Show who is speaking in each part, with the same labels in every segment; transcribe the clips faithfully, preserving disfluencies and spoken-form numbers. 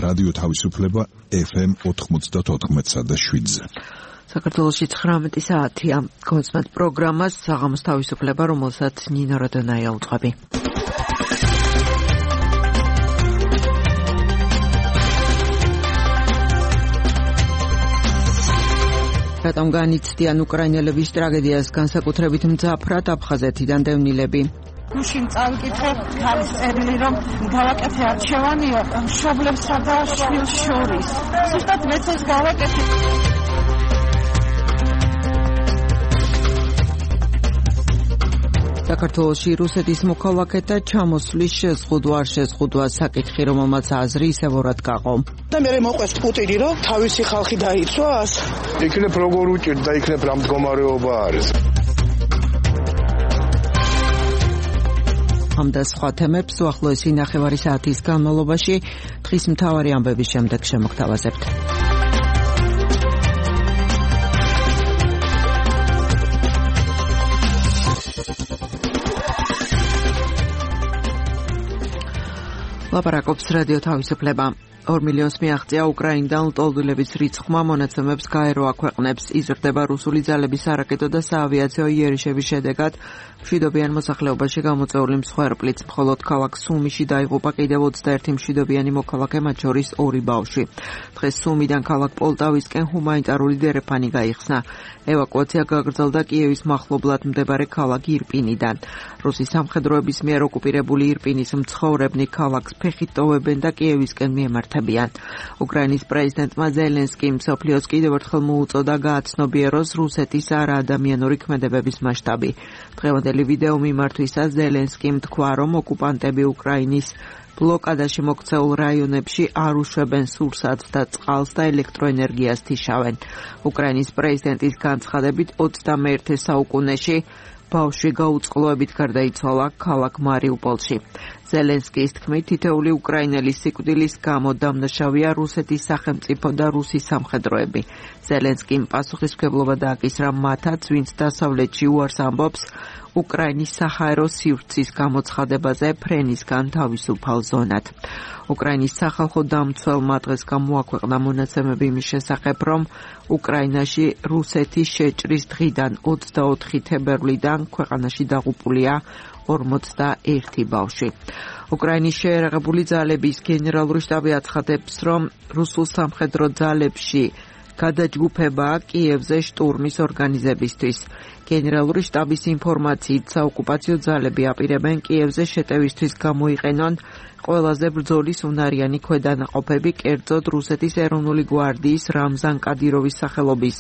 Speaker 1: რადიო თავისუფლება ეფ ემ ოთხმოცდაოთხ და შვიდზე.
Speaker 2: საქართველოში ცხრამეტი საათია. გონსმენთ პროგრამას საღამოს თავისუფლება, რომელსაც ნინო როდონაია უწყები. რატომ განიცდიან უკრაინელების ტრაგედიას განსაკუთრებით მძაფრად აფხაზეთიდან დევნილები?
Speaker 3: გუშინ წავიკითხე ქალის წერილი, რომ გავაკეთე არჩევანია მშობლებსა და შვილს შორის. ზუსტად მეც ეს გავაკეთე.
Speaker 2: საქართველოში რუსეთის მოქალაქეთა ჩამოსვლის შეზღუდვა არ შეზღუდვა საკითხი, რომელმაც აზრი ისევურად გაყო.
Speaker 4: და მე მოყვეს პუტინი, რომ თავისი ხალხი დაიცვას.
Speaker 5: იქნებ როგორ უჭირთ და იქნებ რა მდგომარეობა არის.
Speaker 2: ამ და სხვა თემებს უახლოესი ნახევარი საათის განმავლობაში დღის მთავარი ამბების შემდეგ შემოგთავაზებთ. ლაპარაკობს რადიო თავისუფლება. ორ მილიონს მიაღწია უკრაინიდან ლტოლვილების რიცხვმა, მონაცემებს გაერო აქვეყნებს. იზრდება რუსული ძალების არაკეტო და საავიაციო იერიშების შედეგად მშვიდობიან მოსახლეობაში გამოწვეული მსხვერპლიც. მხოლოდ ქალაქ სუმიში დაიღუპა კიდევ ოცდაერთი მშვიდობიანი მოქალაქე, მათ შორის ორი ბავშვი. დღეს სუმიდან ქალაქ პოლტავისკენ ჰუმანიტარული დერეფანი გაიხსნა. ევაკუაცია გაგრძელდა კიევის მახლობლად მდებარე ქალაქ ირპინიდან. რუსის სამხედროების მიერ ოკუპირებული ირპინის მცხოვრებნი ქალაქს ფეხით ტოვებენ და კიევისკენ მიემართებიან. უკრაინის პრეზიდენტმა ზელენსკიმ მსოფლიოს კიდევ ერთხელ მოუწოდა გააცნობიეროს რუსეთის არაადამიანური ქმედებების მასშტაბი. დღევანდელი ვიდეო მიმართვისას ზელენსკიმ თქვა, რომ ოკუპანტები უკრაინის ბლოკადაში მოქცეულ რაიონებში არ უშვებენ სურსათს და წყალს და ელექტროენერგიას თიშავენ. უკრაინის პრეზიდენტის განცხადებით ოცდამეერთე საუკუნეში ბავშვი გაუწყლოებით გარდაიცვალა ქალაქ მარიუპოლში. ზელენსკის თქმით, თითოეული უკრაინელის სიკვდილის გამო დამნაშავეა რუსეთის სახელმწიფო და რუსის სამხედროები. ზელენსკიმ პასუხისმგებლობა დააკისრა მათაც, ვინც დასავლეთში უარს ამბობს უკრაინის საჰაერო სივრცის გამოცხადებაზე ფრენისგან თავისუფალ ზონად. უკრაინის სახალხო დამცველმა დღეს გამოაქვეყნა მონაცემები იმის შესახებ, რომ უკრაინაში რუსეთის შეჭრის დღიდან ოცდაოთხი თებერვლიდან ქვეყანაში დაღუპულია ორმოცდაერთი ბავშვი. უკრაინის შეერაღებული ძალების გენერალური შტაბი აცხადებს, რომ რუსულ სამხედრო ძალებში გადაჯგუფებაა კიევზე შტურმის ორგანიზებისთვის. გენერალური შტაბის ინფორმაციით, საოკუპაციო ძალები აპირებენ კიევზე შეტევისთვის გამოიყენონ ყველაზე ბრძოლის უნარიანი ქვედანაყოფები, კერძოდ რუსეთის ეროვნული გვარდიის რამზან კადიროვის სახელობის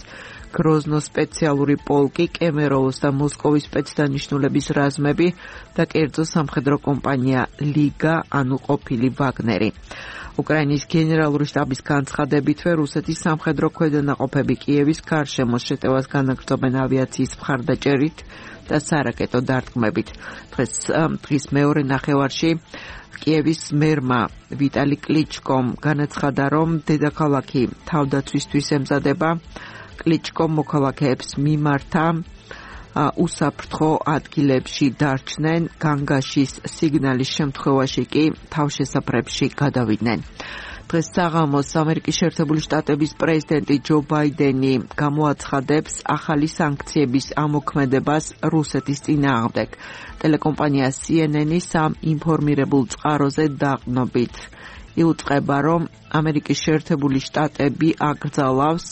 Speaker 2: გროზნოს სპეციალური პოლკი, კემეროვოს და მოსკოვის სპეცდანიშნულების რაზმები და კერძო სამხედრო კომპანია ლიგა, ანუ ყოფილი ვაგნერი. უკრაინის გენერალური შტაბის განცხადებითვე რუსეთის სამხედრო ქვედანაყოფები კიევის გარშემო შეტევას განაგრძობენ ავიაციის მხარდაჭერით და სარაკეტო დარტყმებით. დღეს დღის მეორე ნახევარში კიევის მერმა ვიტალი კლიჩკომ განაცხადა, რომ დედაქალაქი თავდაცვისთვის ემზადება. კლიჩკომ მოქალაქეებს მიმართა უსაფრთხო ადგილებში დარჩნენ, განგაშის სიგნალის შემთხვევაში კი თავშესაფრებში გადავიდნენ. დღეს საღამოს ამერიკის შეერთებული შტატების პრეზიდენტი ჯო ბაიდენი გამოაცხადებს ახალი სანქციების ამოქმედებას რუსეთის წინააღმდეგ. ტელეკომპანია სი ენ ენ-ის ამ ინფორმირებულ წყაროზე დაყნობით იუწყება, რომ ამერიკის შეერთებული შტატები აკრძალავს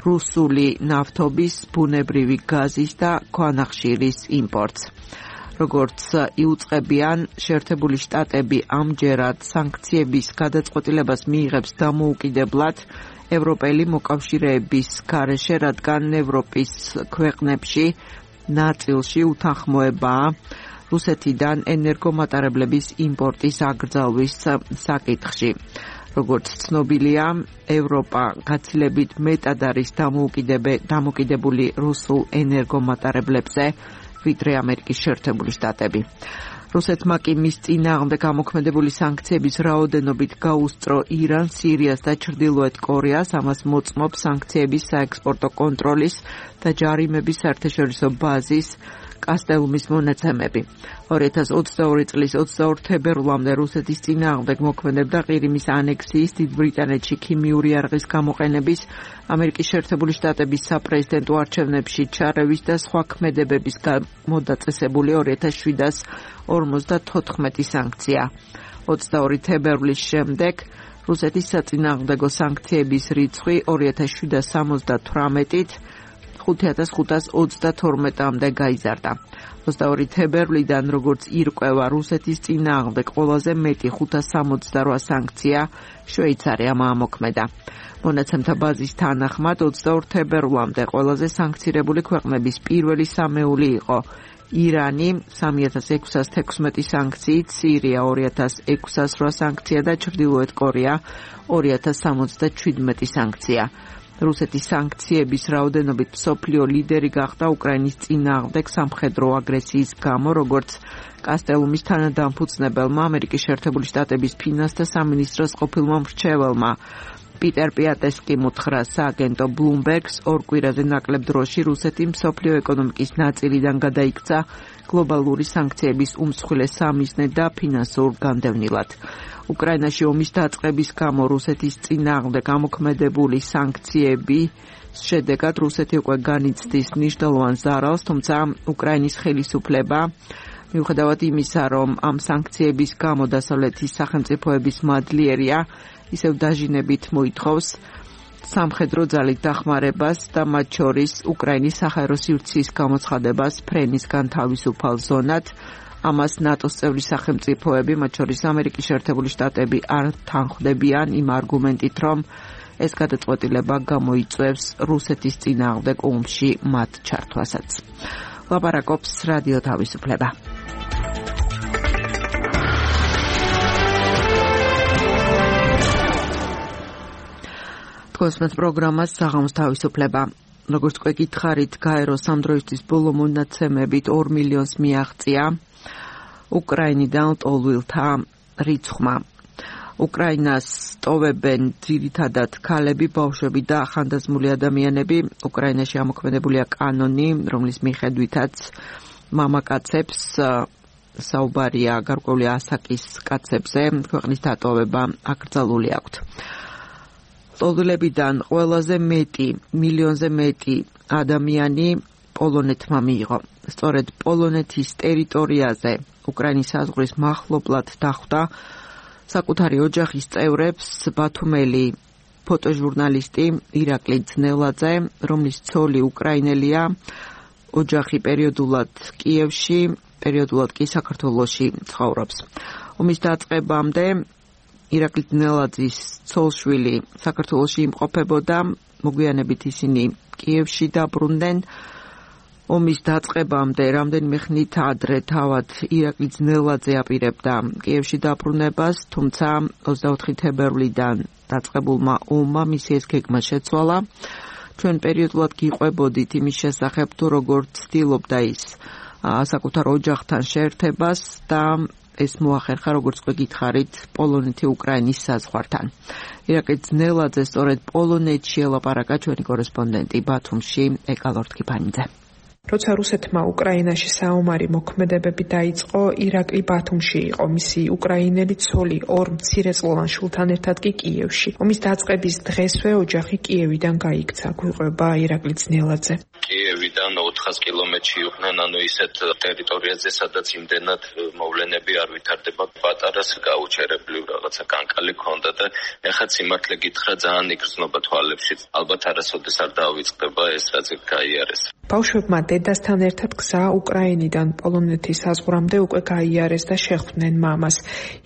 Speaker 2: რუსული ნავთობის, ბუნებრივი გაზის და ქვანახშირის იმპორტს. როგორც იუწყებიან, შეერთებული შტატები ამჯერად სანქციების გადაწყვეტილებას მიიღებს დამოუკიდებლად ევროპელი მოკავშირეების გარეშე, რადგან ევროპის ქვეყნებში ნაწილში უთანხმოებაა რუსეთიდან ენერგომატარებლების იმპორტის აკრძალვის საკითხში. როგორც ცნობილია, ევროპა გაცილებით მეტად არის დამოკიდებული რუსულ ენერგომატარებლებზე, ვიდრე ამერიკის შეერთებული შტატები. რუსეთმა კი მის წინააღმდეგ გამოქმედებული სანქციების რაოდენობით გაუსწრო ირანს, სირიას და ჩრდილოეთ კორეას, ამას მოწმობს სანქციების საექსპორტო კონტროლის და ჯარიმების საერთაშორისო ბაზის კასტელუმის მონაცემები. ორი ათას ოცდაორი წლის ოცდაორ თებერვლამდე რუსეთის წინააღმდეგ მოქმედებდა ყირიმის ანექსიის, დიდ ბრიტანეთში ქიმიური არღის გამოყენების, ამერიკის შეერთებული შტატების საპრეზიდენტო არჩევნებში ჩარევის და სხვა ქმედებების გამოდაწესებული ორი ათას შვიდას ორმოცდათოთხმეტი სანქცია. ოცდაორი თებერვლის შემდეგ რუსეთის საწინააღმდეგო სანქციების რიცხვი ორი ათას შვიდას სამოცდათვრამეტით ხუთი ათას ხუთას ოცდათორმეტამდე გაიზარდა. ოცდაორი თებერვლიდან, როგორც ირკვევა, რუსეთის წინააღმდეგ ყველაზე მეტი ხუთას სამოცდარვა სანქცია შვეიცარიამ ამოქმედა. მონაცემთა ბაზის თანახმად, ოცდაორ თებერვლამდე ყველაზე სანქცირებული ქვეყნების პირველი სამეული იყო ირანი სამი ათას ექვსას თექვსმეტი სანქციით, სირია ორი ათას ექვსას რვა სანქცია და ჩრდილოეთ კორეა ორი ათას სამოცდაჩვიდმეტი სანქცია. რუსეთის სანქციების რაოდენობით მსოფლიო ლიდერი გახდა უკრაინის წინააღმდეგ სამხედრო აგრესიის გამო, როგორც კასტელუმის თანადამფუძნებელმა, ამერიკის შეერთებული შტატების ფინანსთა სამინისტროს ყოფილმა მრჩეველმა პიტერ პიატესკიმ უთხრა სააგენტო ბლუმბერგს, ორ კვირაზე ნაკლებ დროში რუსეთი მსოფლიო ეკონომიკის ნაწილიდან გადაიქცა გლობალური სანქციების უმსხვილეს სამიზნედ და ფინანსურ განდევნილად. უკრაინაში ომის დაწყების გამო რუსეთის წინააღმდეგ ამოქმედებული სანქციების შედეგად რუსეთი უკვე განიცდის მნიშვნელოვან ზარალს, თუმცა უკრაინის ხელისუფლება მიუხედავად იმისა, რომ ამ სანქციების გამო დასავლეთის სახელმწიფოების მადლიერია, ისევ დაჟინებით მოითხოვს სამხედრო ძალით დახმარებას და მათ შორის უკრაინის საჰაერო სივრცის გამოცხადებას ფრენისგან თავისუფალ ზონად. ამას ნატოს წევრი სახელმწიფოები, მათ შორის ამერიკის შეერთებული შტატები არ თანხმდებიან იმ არგუმენტით, რომ ეს გადაწყვეტილება გამოიწვევს რუსეთის წინააღმდეგ ომში მათ ჩართვასაც. ლაპარაკობს რადიო თავისუფლება. თქვენს პროგრამას საღამოს თავისუფლება. როგორც უკვე გითხარით, გაეროს ამ დროისთვის ბოლო მონაცემებით ორ მილიონს მიაღწია უკრაინიდან ლტოლვილთა რიცხვმა. უკრაინას ტოვებენ ძირითადად ქალები, ბავშვები და ახანდაზმული ადამიანები. უკრაინაში ამოქმედებულია კანონი, რომლის მიხედვითაც მამაკაცებს საუბარია გარკვეული ასაკის კაცებზე, ქვეყნის დატოვება აკრძალული აქვთ. ლტოლვილებიდან ყველაზე მეტი, მილიონზე მეტი ადამიანი პოლონეთმა მიიღო. სწორედ პოლონეთის ტერიტორიაზე უკრაინის საზღვრის მახლობლად დახვდა საკუთარი ოჯახის წევრებს ბათუმელი ფოტოჟურნალისტი ირაკლი ძნელაძე, რომლის ცოლი უკრაინელია, ოჯახი პერიოდულად კიევში, პერიოდულად კი საქართველოში ცხოვრობს. ომის დაწყებამდე ირაკლი ძნელაძის ცოლშვილი საქართველოში იმყოფებოდა, მოგვიანებით ისინი კიევში დაბრუნდნენ. ომის დაწყებამდე რამდენიმე ხნით ადრე თავად ირაკლი ძნელაძე აპირებდა კიევში დაბრუნებას, თუმცა ოცდაოთხი თებერვლიდან დაწყებულმა ომმა მისი ეს გეგმა შეცვალა. ჩვენ პერიოდულად გიყვებოდით იმის შესახებ, თუ როგორ ცდილობდა ის საკუთარ ოჯახთან შეერთებას და ეს მოახერხა, როგორც უკვე გითხარით, პოლონეთი-უკრაინის საზღვართან. ირაკლი ძნელაძე სწორედ პოლონეთში ელაპარაკა ჩვენი კორესპონდენტი ბათუმში ეკალორ თქიფანიძე.
Speaker 6: როცა რუსეთმა უკრაინაში საომარი მოქმედებები დაიწყო, ირაკლი ბათუმში იყო, მისი უკრაინელი ცოლი ორ მცირეწლოვან შვილთან ერთად კი კიევში. ომის დაწყების დღესვე ოჯახი კიევიდან გაიქცა, გვიყვება ირაკლი ძნელაძე.
Speaker 7: კიევიდან ოთხას კილომეტრში იყვნენ, ანუ ისეთ ტერიტორიაზე, სადაც იმდენად მოვლენები არ ვითარდება. პატარას გაუჩერებლივ რაღაცა კანკალი ქონდა და ეხლა სიმართლე გითხრა, ძალიან იგრძნობა თვალებში. ალბათ არასოდეს არ დავიწყდება ეს, რაც გაიარეს.
Speaker 6: ბავშვებმა დედასთან ერთად გზა უკრაინიდან პოლონეთის საზღვრამდე უკვე გაიარეს და შეხვდნენ მამას.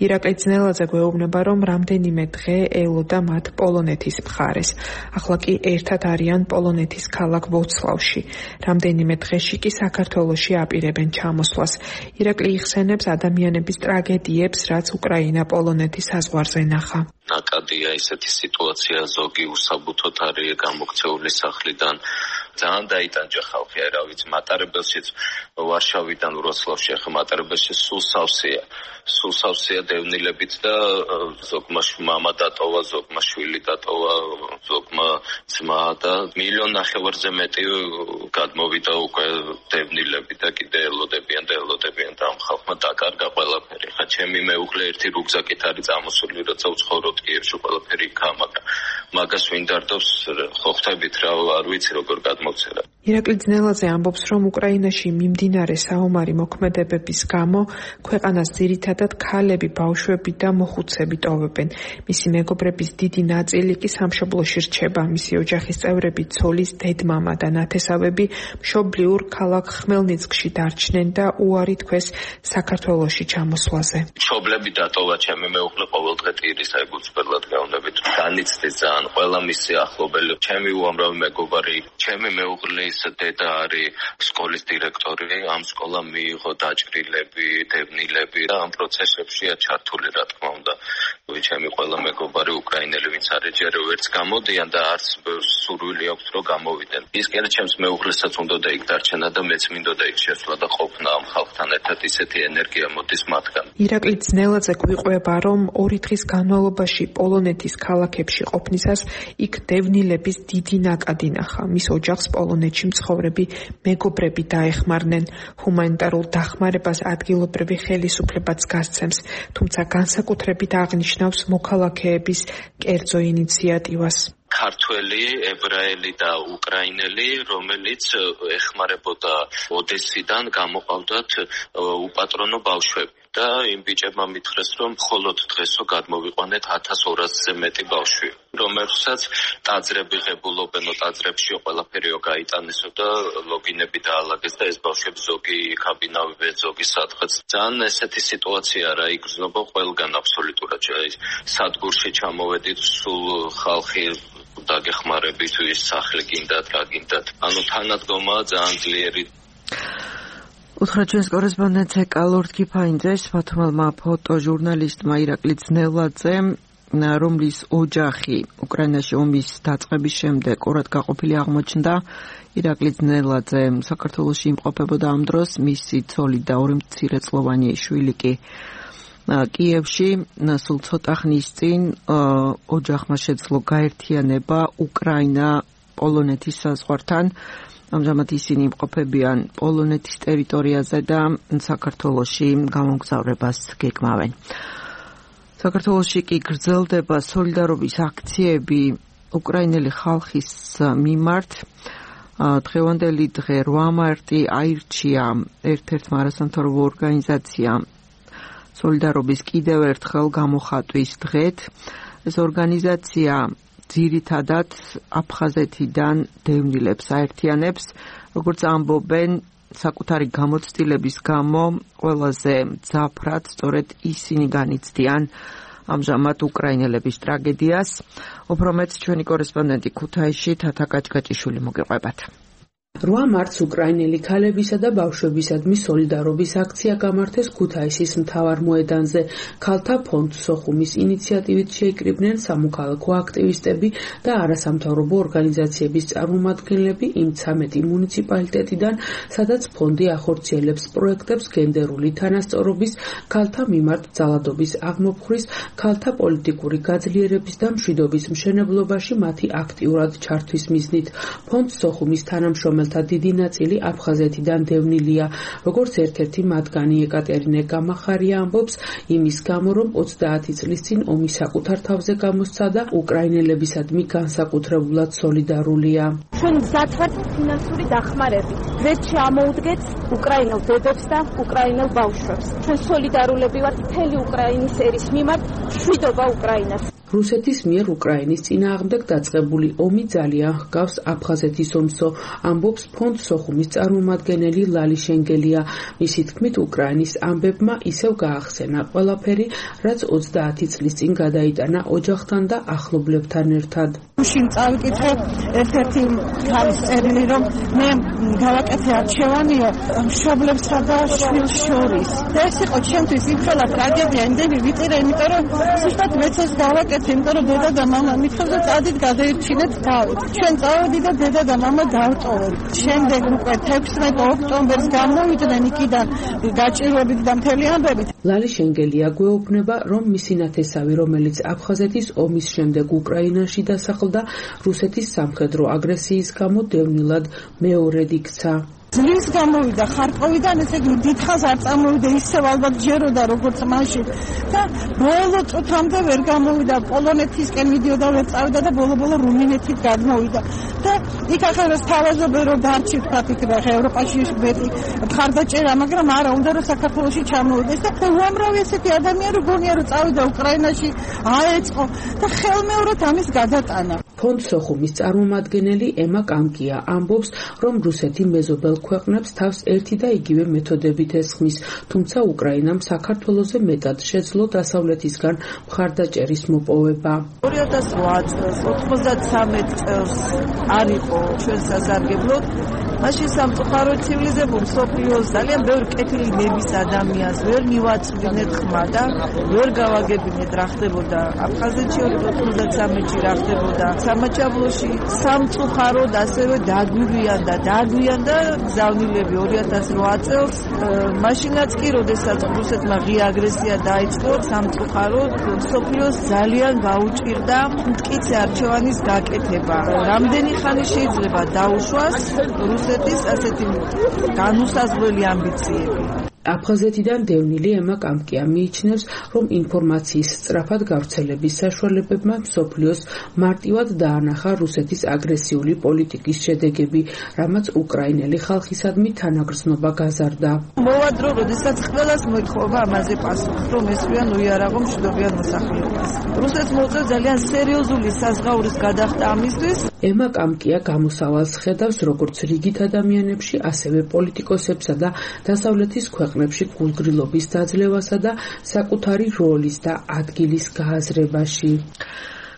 Speaker 6: ირაკლი ძნელაძე გვეუბნება, რომ რამდენიმე დღე ელოდა მათ პოლონეთის მხარეს. ახლა კი ერთად არიან პოლონეთის ქალაქ ვოცლავში. რამდენიმე დღეში კი საქართველოში აპირებენ ჩამოსვლას. ირაკლი იხსენებს ადამიანების ტრაგედიებს, რაც უკრაინა პოლონეთის საზღვარზე ნახა.
Speaker 7: ნაკადია ისეთი სიტუაცია, ზოგი უსაბუთოდ არის გამოქცეული სახლიდან. ძალიან დაიტანჯა ხალხი, რა ვიცი, მატარებელშიც ვარშავიდან ვროცლავში, ახლა მატარებელში სულ სავსეა. სულ სავსეა დევნილებით და ზოგმა მამა დატოვა, ზოგმა შვილი დატოვა, ზოგმა ძმა და მილიონ ნახევარზე მეტი გადმოვიდა უკვე დევნილები და კიდე ჩემი მეუღლე ერთი რუგზაკით არის წამოსული, როცა ვცხოვრობ კიევში, ყველაფერი იქაა, მაგრამ მაგას ვინ დარდობს, ხო ხვდებით რა, არ ვიცი როგორ გადმოვცერა.
Speaker 6: ირაკლი ძნელაძე ამბობს, რომ უკრაინაში მიმდინარე საომარი მოქმედებების გამო ქვეყანას ძირითადად ქალები, ბავშვები და მოხუცები ტოვებენ. მისი მეგობრების დიდი ნაწილი კი სამშობლოში რჩება. მისი ოჯახის წევრები, ცოლის დედმამა და ნათესავები მშობლიურ ქალაქ ხმელნიცკში დარჩნენ და უარი თქვეს საქართველოში ჩამოსვლაზე.
Speaker 7: მშობლები დატოვა ჩემი მეუღლე ყოველდღე ტირისა ეგუცბერლად გაუნდებით. განიცდის ძალიან ყველა მისი ახლობელი, ჩემი უამრავი მეგობარი, ჩემი მეუღლის დედა არის სკოლის დირექტორი, ამ სკოლამ მიიღო დაჭრილები, დევნილები და ამ პროცესებშია ჩართული, რა თქმა უნდა. ჩემი ყველა მეგობარი უკრაინელი, ვინც არის ჯერ ვერც გამოდიან და არც სურვილი აქვს რომ გამოვიდნენ. ის კი არა ჩემს მეუღლესაც უნდოდა იქ დარჩენა და მეც მინდოდა იქ შესვლა და ყოფნა ამ ხალხთან ერთად, ისეთი ენერგია მოდის მათგან.
Speaker 6: ირაკლი ძნელაძე გვიყვება, რომ ორი დღის განმავლობაში პოლონეთის ქალაქებში ყოფნისას იქ დევნილების დიდი ნაკადი ნახა. მის ოჯახს პოლონეთში მცხოვრები მეგობრები დაეხმარნენ. ჰუმანიტარულ დახმარებას ადგილობრივი ხელისუფლებაც გასცემს, თუმცა განსაკუთრებით აღნიშნავს მოქალაქეების კერძო ინიციატივას.
Speaker 7: ქართველი, ებრაელი და უკრაინელი, რომელიც ეხმარებოდა ოდესიდან გამოყავდათ უპატრონო ბავშვები. და იმ ბიჭებმა მითხრეს, რომ მხოლოდ დღესო გადმოვიყვანეთ ათას ორასზე მეტი ბავშვი, რომელსაც ტაძრები ღებულობენო, ტაძრებშიო ყველაფერიო გაიტანესო და ლოგინები დაალაგეს და ეს ბავშვები ზოგი იქაბინავებენ, ზოგი სადღაც. ძალიან ესეთი სიტუაცია რა იგრძნობა ყველგან აბსოლუტურად. სადგურში ჩამოვედით, სულ ხალხი დაგეხმარებით, ვის სახლი გინდათ, რა გინდათ. ანუ თანადგომაა ძალიან ძლიერი.
Speaker 2: უთხრა ჩვენს კორესპონდენტს კალორდ კიფაინძეს, ბათუმელმა ფოტოჟურნალისტმა ირაკლი ძნელაძემ, რომლის ოჯახი უკრაინაში ომის დაწყების შემდეგ ყურად გაყოფილი აღმოჩნდა. ირაკლი ძნელაძე საქართველოში იმყოფებოდა ამ დროს, მისი ცოლი და ორი მცირეწლოვანი შვილი კი კიევში. სულ ცოტა ხნის წინ ოჯახმა შეძლო გაერთიანება უკრაინა პოლონეთის საზღვართან. ამჟამად ისინი იმყოფებიან პოლონეთის ტერიტორიაზე და საქართველოში გამოგზავრებას გეგმავენ. საქართველოში კი გრძელდება სოლიდარობის აქციები უკრაინელი ხალხის მიმართ. დღევანდელი დღე რვა მარტი აირჩია ერთ-ერთმა არასამთავრობო ორგანიზაციამ სოლიდარობის კიდევ ერთხელ გამოხატვის დღედ. ეს ორგანიზაცია ძირითადად აფხაზეთიდან დევნილებს აერთიანებს, როგორც ამბობენ, საკუთარი გამოცდილების გამო ყველაზე მძაფრად სწორედ ისინი განიცდიან ამჟამად უკრაინელების ტრაგედიას. უფრო მეც ჩვენი კორესპონდენტი ქუთაისში თათა კაჭკაჭიშვილი მოგეყვებათ.
Speaker 8: რვა მარტს უკრაინელი ქალებისა და ბავშვებისადმი სოლიდარობის აქცია გამართეს ქუთაისის მთავარ მოედანზე. ქალთა ფონდ სოხუმის ინიციატივით შეიკრიბნენ სამოქალაქო აქტივისტები და არასამთავრობო ორგანიზაციების წარმომადგენლები იმ ცამეტი მუნიციპალიტეტიდან, სადაც ფონდი ახორციელებს პროექტებს გენდერული თანასწორობის, ქალთა მიმართ ძალადობის აღმოფხვრის, ქალთა პოლიტიკური გაძლიერების და მშვიდობის მშენებლობაში მათი აქტიურად ჩართვის მიზნით. ფონდ სოხუმის თანამშრომელი დიდი ნაწილი აფხაზეთიდან დევნილია. როგორც ერთ-ერთი მათგანი ეკატერინე გამახარია ამბობს, იმის გამო, რომ ოცდაათი წლის წინ ომი საკუთარ თავზე გამოსცადა, უკრაინელებისადმი განსაკუთრებულად სოლიდარულია.
Speaker 9: ჩვენ მზად ვართ ფინანსური დახმარებით. დღეს ამოუდგეთ უკრაინელ ბებებს და უკრაინელ ბავშვებს. ჩვენ სოლიდარულები ვართ მთელი უკრაინის ერის მიმართ, მშვიდობა უკრაინას.
Speaker 8: რუსეთის მიერ უკრაინის წინააღმდეგ დაწყებული ომი ძალიან ჰგავს აფხაზეთის ომსო, ამბობს ფონდ სოხუმის წარმომადგენელი ლალი შენგელია. მისი თქმით, უკრაინის ამბებმა ისევ გაახსენა ყველაფერი, რაც ოცდაათი წლის წინ გადაიტანა ოჯახთან და ახლობლებთან ერთად.
Speaker 3: შინ წავიკითხე ერთ-ერთი ხალის წერილი, რომ მე გავაკეთე არჩევანია მშობლებსა და შვილს შორის. და ეს იყო ჩემთვის იმხელა ტრაგედია, იმდენი ვიწირე, იმიტომ რომ ზუსტად მეც ეს გავაკეთე. იმიტომ რომ დედა და მამა მithქვენ წადით გადაირჩინეთ თავით. ჩვენ წავედი და დედა და მამა დავტოვეთ. შემდეგ უკვე თექვსმეტი ოქტომბერს გამოვიდნენ იქიდან გაჭირვებით და მთელი ამბებით.
Speaker 8: ლალი შენგელია გვეუბნება, რომ მისი ნათესავი, რომელიც აფხაზეთის ომის შემდეგ უკრაინაში დასახლდა, რუსეთის სამხედრო აგრესიის გამო დევნილად მეორედ იქცა.
Speaker 3: ძლივს გამოვიდა ხარკოვიდან, ესე იგი დიდხანს არ წამოვიდა, ისევ ალბათ ჯეროდა როგორც მაშინ და ბოლო წუთამდე ვერ გამოვიდა, პოლონეთისკენ მიდიოდა, ვერ წავიდა და ბოლო-ბოლო რუმინეთით გადმოვიდა და იქ ახლა თავაზობენ რომ დარჩით ფაქტიკა ევროპაში მეტი მხარდაჭერა, მაგრამ არა უნდა რომ საქართველოში ჩამოვიდეს და უამრავი ესეთი ადამიანი რო გონია რომ წავიდა უკრაინაში, აეწყო და ხელმეორედ ამის გადატანა.
Speaker 8: ფონდ სოხუმის წარმომადგენელი ემა კამკია ამბობს, რომ რუსეთი მეზობელ ქვეყნებს თავს ერთი და იგივე მეთოდებით ესხმის, თუმცა უკრაინამ საქართველოზე მეტად შეძლო დასავლეთისგან მხარდაჭერის მოპოვება.
Speaker 10: ორი ათას ოთხ წელს, ოცდათვრამეტ წელს არ იყო ჩვენ სასარგებლოდ, მაშინ სამწუხარო ცივილიზებულ მსოფლიოს ძალიან ბევრი კეთილი ნების ადამიანს ვერ მივაწვდინეთ ხმა და ვერ გავაგებინეთ რა ხდებოდა აფხაზეთში ოცდათვრამეტში რა ხდებოდა სამაჩაბლოში სამწუხაროდ ასევე დაგვირიან და დაგვიან და გზავნილები ორი ათას ოთხ წელს მაშინაც კი როდესაც რუსეთმა ღია აგრესია დაიწყო სამწუხაროდ მსოფლიოს ძალიან გაუჭირდა მტკიცე არჩევანის გაკეთება. რამდენი ხანი შეიძლება დაუშვას რუსეთის ასეთი განუსაზღვრელი ამბიციები.
Speaker 8: აფხაზეთიდან დევნილი ემა კამკია მიიჩნევს, რომ ინფორმაციის სწრაფად გავრცელების საშუალებებმა მსოფლიოს მარტივად დაანახა რუსეთის აგრესიული პოლიტიკის შედეგები, რამაც უკრაინელი ხალხისადმი თანაგრძნობა გაზარდა.
Speaker 10: მოვა დრო, როდესაც ყველას მოითხოვა ამაზე პასუხი, რომ ესვრიან უიარაღო მშვიდობიან მოსახლეობას. რუსეთს მოუწევს ძალიან სერიოზული საზღაურის გადახდა ამისთვის.
Speaker 8: ემა კამკია გამოსავალს ხედავს როგორც რიგით ადამიანებში, ასევე პოლიტიკოსებსა და დასავლეთის ქვეყნებში გულგრილობის დაძლევასა და საკუთარი როლის და ადგილის გააზრებაში.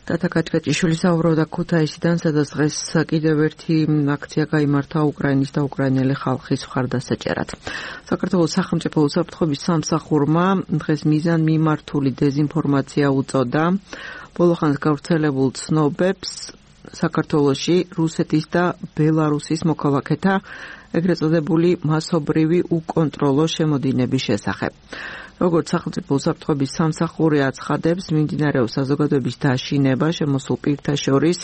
Speaker 2: ტატა კაჭკაჭიშვილი საუბრობდა ქუთაისიდან, სადაც დღეს კიდევ ერთი აქცია გაიმართა უკრაინის და უკრაინელი ხალხის მხარდასაჭერად. საქართველოს სახელმწიფო უსაფრთხოების სამსახურმა დღეს მიზანმიმართული დეზინფორმაცია უწოდა ბოლოხანს გავრცელებულ ცნობებს საქართველოში რუსეთის და ბელარუსის მოქალაქეთა ეგრეთ წოდებული მასობრივი უკონტროლო შემოდინების შესახებ. როგორც სახელმწიფო უსაფრთხოების სამსახური აცხადებს, მიმდინარეობს საზოგადოების დაშინება შემოსულ პირთა შორის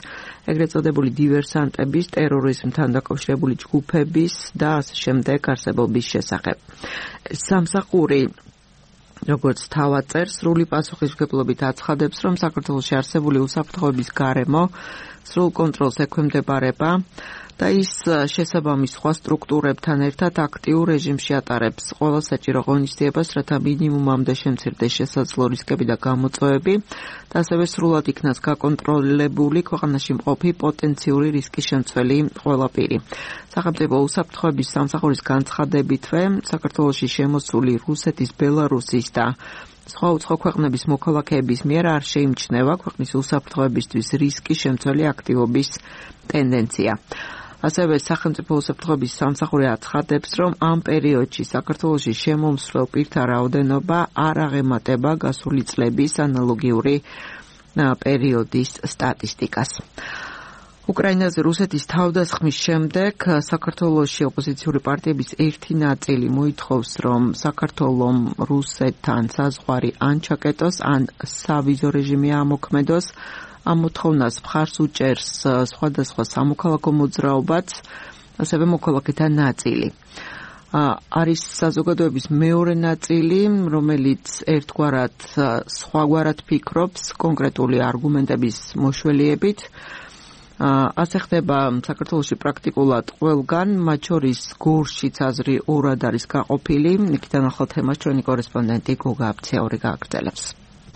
Speaker 2: ეგრეთ წოდებული დივერსანტების, ტერორიზმთან დაკავშირებული ჯგუფების და ასე შემდეგ არსებობის შესახებ. სამსახური როგორც თავად წერს, სრული პასუხისმგებლობით აცხადებს, რომ საქართველოში არსებული უსაფრთხოების გარემო სრულ კონტროლს ექვემდებარება და ის შესაბამის სხვა სტრუქტურებთან ერთად აქტიურ რეჟიმში ატარებს ყველა საჭირო ღონისძიებას, რათა მინიმუმამდე შემცირდეს შესაძლო რისკები და გამოწვევები და ასევე სრულად იქნას გაკონტროლებული ქვეყანაში მყოფი პოტენციური რისკის შემცველი ყველა პირი. სახელმწიფო უსაფრთხოების სამსახურის განცხადებითვე, საქართველოში შემოსული რუსეთის, ბელარუსის და სხვა უცხო ქვეყნების მოქალაქეების მიერ არ შეიმჩნევა ქვეყნის უსაფრთხოებისთვის რისკის შემცველი აქტივობის ტენდენცია. ასევე სახელმწიფო უსაფრთხოების სამსახური აცხადებს, რომ ამ პერიოდში საქართველოში შემომსვლელ პირთა რაოდენობა არ აღემატება გასული წლების ანალოგიური პერიოდის სტატისტიკას. უკრაინაზე რუსეთის თავდასხმის შემდეგ საქართველოში ოპოზიციური პარტიების ერთი ნაწილი მოითხოვს, რომ საქართველომ რუსეთთან საზღვარი ან ჩაკეტოს, ან სავიზო რეჟიმი ამოქმედოს. ამ მოთხოვნას მხარს უჭერს სხვადასხვა სამოქალაქო მოძრაობაც, ასევე მოქალაქეთა ნაწილი. არის საზოგადოების მეორე ნაწილი, რომელიც ერთგვარად სხვაგვარად ფიქრობს კონკრეტული არგუმენტების მოშველიებით. ასე ხდება საქართველოში პრაქტიკულად ყველგან, მათ შორის გორშიც აზრი ორად არის გაყოფილი. იქიდან ახალ თემას ჩვენი კორესპონდენტი გოგა აბცეური გააგრძელებს.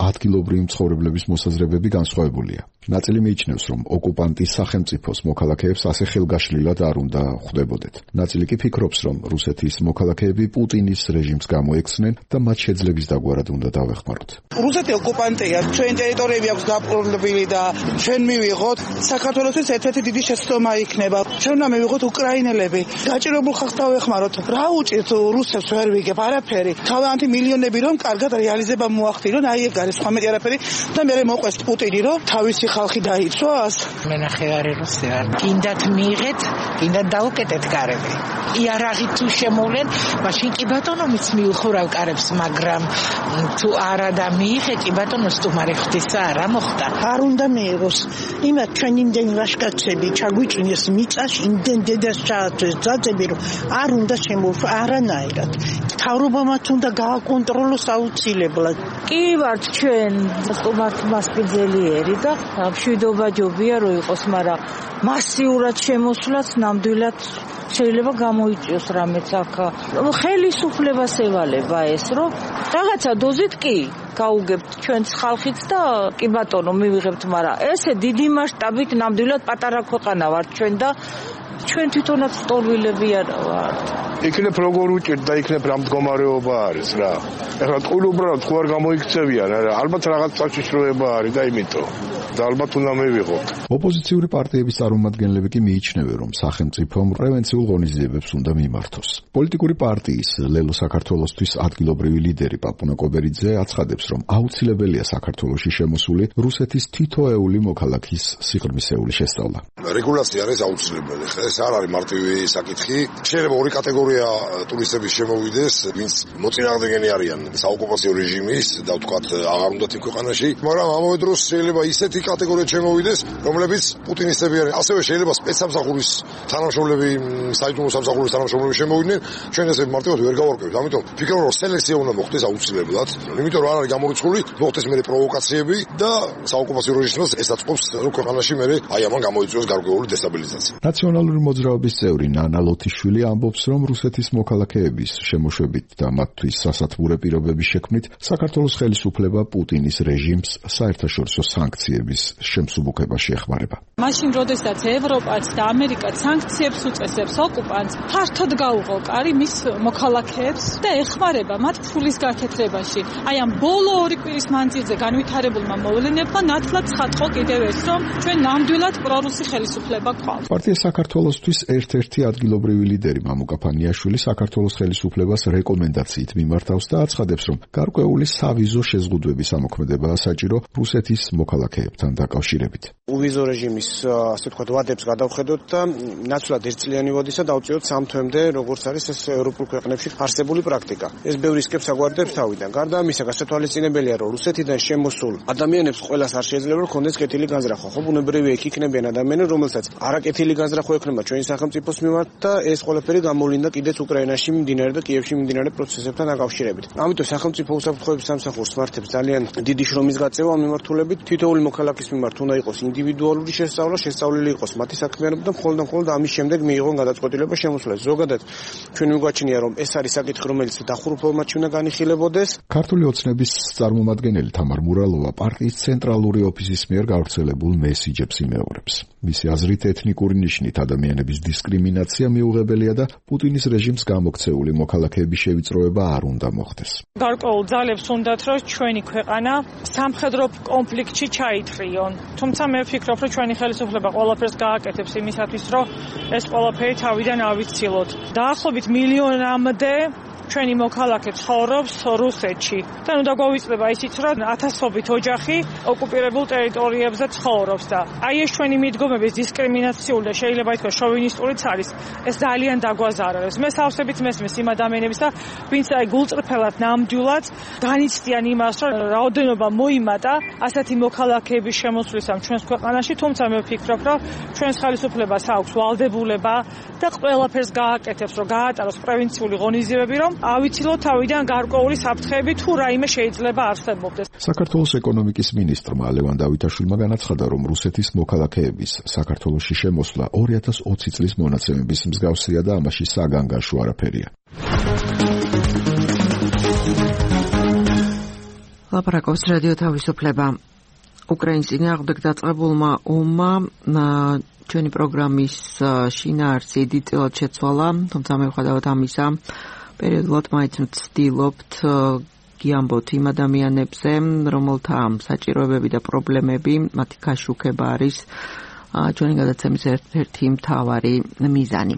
Speaker 1: ადგილობრივი მცხოვრებლების მოსაზრებები განსხვავებულია. ნაწილი მიიჩნევს, რომ ოკუპანტის სახელმწიფოს მოქალაქეებს ასე ხელგაშლილად არ უნდა ხვდებოდეთ. ნაწილი კი ფიქრობს, რომ რუსეთის მოქალაქეები პუტინის რეჟიმს გამოექცნენ და მათ შეძლების დაგვარად უნდა დავეხმაროთ.
Speaker 4: რუსეთი ოკუპანტია, ჩვენი ტერიტორიები აქვს დაპყრობილი და ჩვენ მივიღოთ საქართველოსთვის ერთ-ერთი დიდი შეცდომა იქნება. ჩვენ უნდა მივიღოთ უკრაინელები, გაჭირებულ ხალხს დავეხმაროთ. რა უჭირთ რუსებს ვერ ვიგებ არაფერი. თავიანთი მილიონები რომ კარგად რეალიზება მოახდინონ, აი ეგ არის სხვა მეტი არაფერი და მე მოყვეს პუტინი რომ თავისი ხალხი დაიცვას?
Speaker 11: მე ნახევარი რუსი ვარ. კიდათ მიიღეთ, კიდათ დაუკეტეთ კარები. იარაღი თუ შემოვლენ, მაშინ კი ბატონო მის მიუხურავ კარებს, მაგრამ თუ არა და მიიღე კი ბატონო სტუმარი ხვდისა არა მოხდა.
Speaker 3: არ უნდა მიიღოს. იმათ ჩვენ იმდენ ვაშკაცები ჩაგვიწვიეს მიწაში, იმდენ დედას ჩაათვეს ძაძები, რომ არ უნდა შემოვა არანაირად. თავრობამაც უნდა გააკონტროლოს აუცილებლად.
Speaker 12: კი ვართ ჩვენ სტუმართ მასპინძლიერი და მშვიდობა ჯობია რომ იყოს, მაგრამ მასიურად შემოსვლაც ნამდვილად შეიძლება გამოიწვიოს რამეც აქ. ხელისუფლებას ევალება ეს, რომ რაღაცა დოზით კი გაუგებთ ჩვენს ხალხიც და კი ბატონო მივიღებთ, მაგრამ ესე დიდი მასშტაბით ნამდვილად პატარა ქვეყანა ვართ ჩვენ და ჩვენ თვითონაც სტოლვილები არ ვართ.
Speaker 5: იქნებ როგორ უჭირთ და იქნებ რა მდგომარეობა არის რა. ეხლა ტყუილ უბრალოდ ხო არ გამოიქცევიან, არა, ალბათ რაღაც საშიშროება არის და იმიტომ და ალბათ უნდა მივიღოთ.
Speaker 1: ოპოზიციური პარტიების წარმომადგენლები კი მიიჩნევენ, რომ სახელმწიფომ პრევენციულ ღონისძიებებს უნდა მიმართოს. პოლიტიკური პარტიის ლელო საქართველოსთვის ადგილობრივი ლიდერი პაპუნა კობერიძე აცხადებს, რომ აუცილებელია საქართველოში შემოსული რუსეთის თითოეული მოქალაქის სიღრმისეული შესწავლა.
Speaker 13: რეგულაცია არის აუცილებელი. ეს არ არის მარტივი საკითხი. შეიძლება ორი კატეგორია ტურისტების შემოვიდეს, ვინც მოწინააღმდეგენი არიან საოკუპაციო რეჟიმის და ვთქვათ აღარ უნდათ იმ ქვეყანაში, მაგრამ ამავე დროს შეიძლება ისეთი კატეგორია შემოვიდეს, რომლებიც პუტინისტები არიან. ასევე შეიძლება სპეცსამსახურის თანამშრომლები, საიდუმლო სამსახურის თანამშრომლები შემოვიდნენ. ჩვენ ესე მარტივად ვერ გავარკვევთ. ამიტომ ვფიქრობ, რომ სელექცია უნდა მოხდეს აუცილებლად. იმიტომ რომ არ არის გამორიცხული, მოხდეს მერე პროვოკაციები და საოკუპაციო რეჟიმს ესაწყობს, რომ ქვეყანაში მერე აი ამან გამოიწვიოს გარკვეული დესტაბილიზაცია.
Speaker 1: ნაციონალური მოძრაობის წევრი ნანა ლოთიშვილი ამბობს, რომ რუსეთის მოქალაქეების შემოშვებით და მათთვის სასათბურე პირობების შექმნით საქართველოს ხელისუფლება პუტინის რეჟიმს საერთაშორისო სანქციების შემსუბუქებაში ეხმარება.
Speaker 14: მაშინ, როდესაც ევროპაც და ამერიკაც სანქციებს უწესებს ოკუპანტს, ფართოდ გაუღო კარი მის მოქალაქეებს და ეხმარება მათ ფულის გაკეთებაში. აი ამ ბოლო ორი კვირის მანძილზე განვითარებულმა მოვლენებმა ნათლად ცხადყო კიდევ ეს, რომ ჩვენ ნამდვილად პრორუსი ხელისუფლება გვყავს.
Speaker 1: პარტია საქართველოსთვის ერთ-ერთი ადგილობრივი ლიდერი მამუკა ფანიაშვილი საქართველოს ხელისუფლებას რეკომენდაციით მიმართავს და აცხადებს, რომ გარკვეული სავიზო შეზღუდვების ამოქმედებაა საჭირო რუსეთის მოქალაქეებთან დაკავშირებით.
Speaker 15: უვიზო რეჟიმის ასე ვთქვათ ვადებს გადავხედოთ და ნაცვლად ერთწლიანი ვადისა დავწიოთ სამ თვემდე, როგორც არის ეს ევროპულ ქვეყნებში არსებული პრაქტიკა. ეს ბევრი სკეპს აგვარდებს თავიდან. გარდა ამისა, გასათვალისწინებელია, რომ რუსეთიდან შემოსულ ადამიანებს ყველას არ შეიძლება რომ ქონდეს კეთილი განზრახვა. ხო, ბუნებრივია იქ იქნებიან ადამიანები, რომელსაც არაკეთილი განზრახვა ექნება ჩვენი სახელმწიფოს მიმართ და ეს ყველაფერი გამოვლინდა კიდეც უკრაინაში მიმდინარე და კიევში მიმდინარე პროცესებთან დაკავშირებით. ამიტომ სახელმწიფო უსაფრთხოების სამსახურს მართებს ძალიან დიდი შრომის გაწევა ამ მიმართულებით. თითოეული მოქალაქის მიმართ უნდა იყოს ინდივიდუალური შესწავლა, შესწავლილი იყოს მათი საქმიანობა და მხოლოდ და მხოლოდ ამის შემდეგ მიიღონ გადაწყვეტილება შემოსვლას. ზოგადად ჩვენ მიგვაჩნია, რომ ეს არის საკითხი, რომელიც დახურუპებმაც უნდა განიხილებოდეს.
Speaker 1: ქართული ოცნების წარმომადგენელი თამარ მურალოვა პარტიის ცენტრალური ოფისის მიერ გავრცელებულ მესიჯებს იმეორებს. მისი აზრით ეთნიკური ნიშნით ადამიანების დისკრიმინაცია მიუღებელია და პუტინის რეჟიმს გამოქცეული მოქალაქეების შევიწროება არ უნდა მოხდეს.
Speaker 14: გარკვეულ ძალებს უნდათ, რომ ჩვენი ქვეყანა სამხედრო კონფლიქტში ჩაითხრიონ. თუმცა მე ვფიქრობ, რომ ჩვენი ხელისუფლება ყველაფერს გააკეთებს იმისათვის, რომ ეს ყველაფერი თავიდან ავიცილოთ. დაახლოებით მილიონამდე ჩვენი მოქალაქე ცხოვრობს რუსეთში. და ნუ დაგვავიწყდება ისიც, რომ ათასობით ოჯახი ოკუპირებულ ტერიტორიებზე ცხოვრობს და აი ეს ჩვენი მიდგომების დისკრიმინაციული და შეიძლება ითქვას შოვინისტურიც არის, ეს ძალიან დაგვაზარალებს. მე სავსებით მესმის იმ ადამიანებს და ვინც აი გულწრფელად ნამდვილად განიცდიან იმას, რომ რაოდენობა მოიმატა ასეთი მოქალაქეების შემოსვლისამ ჩვენს ქვეყანაში, თუმცა მე ვფიქრობ, რომ ჩვენს ხელისუფლებას აქვს ვალდებულება და ყველაფერს გააკეთებს, რომ გაატაროს პრევენციული ღონისძიებები, რომ ავიცილოთ თავიდან გარკვეული საფრთხეები თუ რაიმე შეიძლება არსებობდეს.
Speaker 1: საქართველოს ეკონომიკის მინისტრმა ლევან დავითაშვილმა განაცხადა, რომ რუსეთის მოქალაქეების საქართველოში შემოსვლა ორი ათას ოცი წლის მონაცემების მსგავსია და ამაში საგანგაშო არაფერია.
Speaker 2: ლაპარაკობს რადიო თავისუფლება. უკრაინის წინააღმდეგ დაწყებულმა ომმა ჩვენი პროგრამის შინაარსი დიდწილად შეცვალა, თუმცა მიუხედავად ამისა პერიოდულად მაინც ვცდილობთ გიამბოთ იმ ადამიანებზე, რომელთა საჭიროებები და პრობლემები, მათი გაშუქება არის ჩვენი გადაცემის ერთ-ერთი მთავარი მიზანი.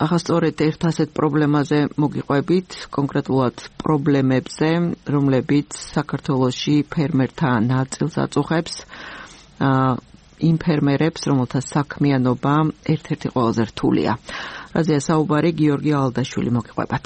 Speaker 2: ახლა სწორედ ერთ ასეთ პრობლემაზე მოგიყვებით, კონკრეტულად პრობლემებზე, რომლებიც საქართველოში ფერმერთა ნაწილს აწუხებს, იმ ფერმერებს, რომელთა საქმიანობა ერთ-ერთი ყველაზე რთულია. რაზეა საუბარი, გიორგი ალდაშვილი, მოგიყვებათ.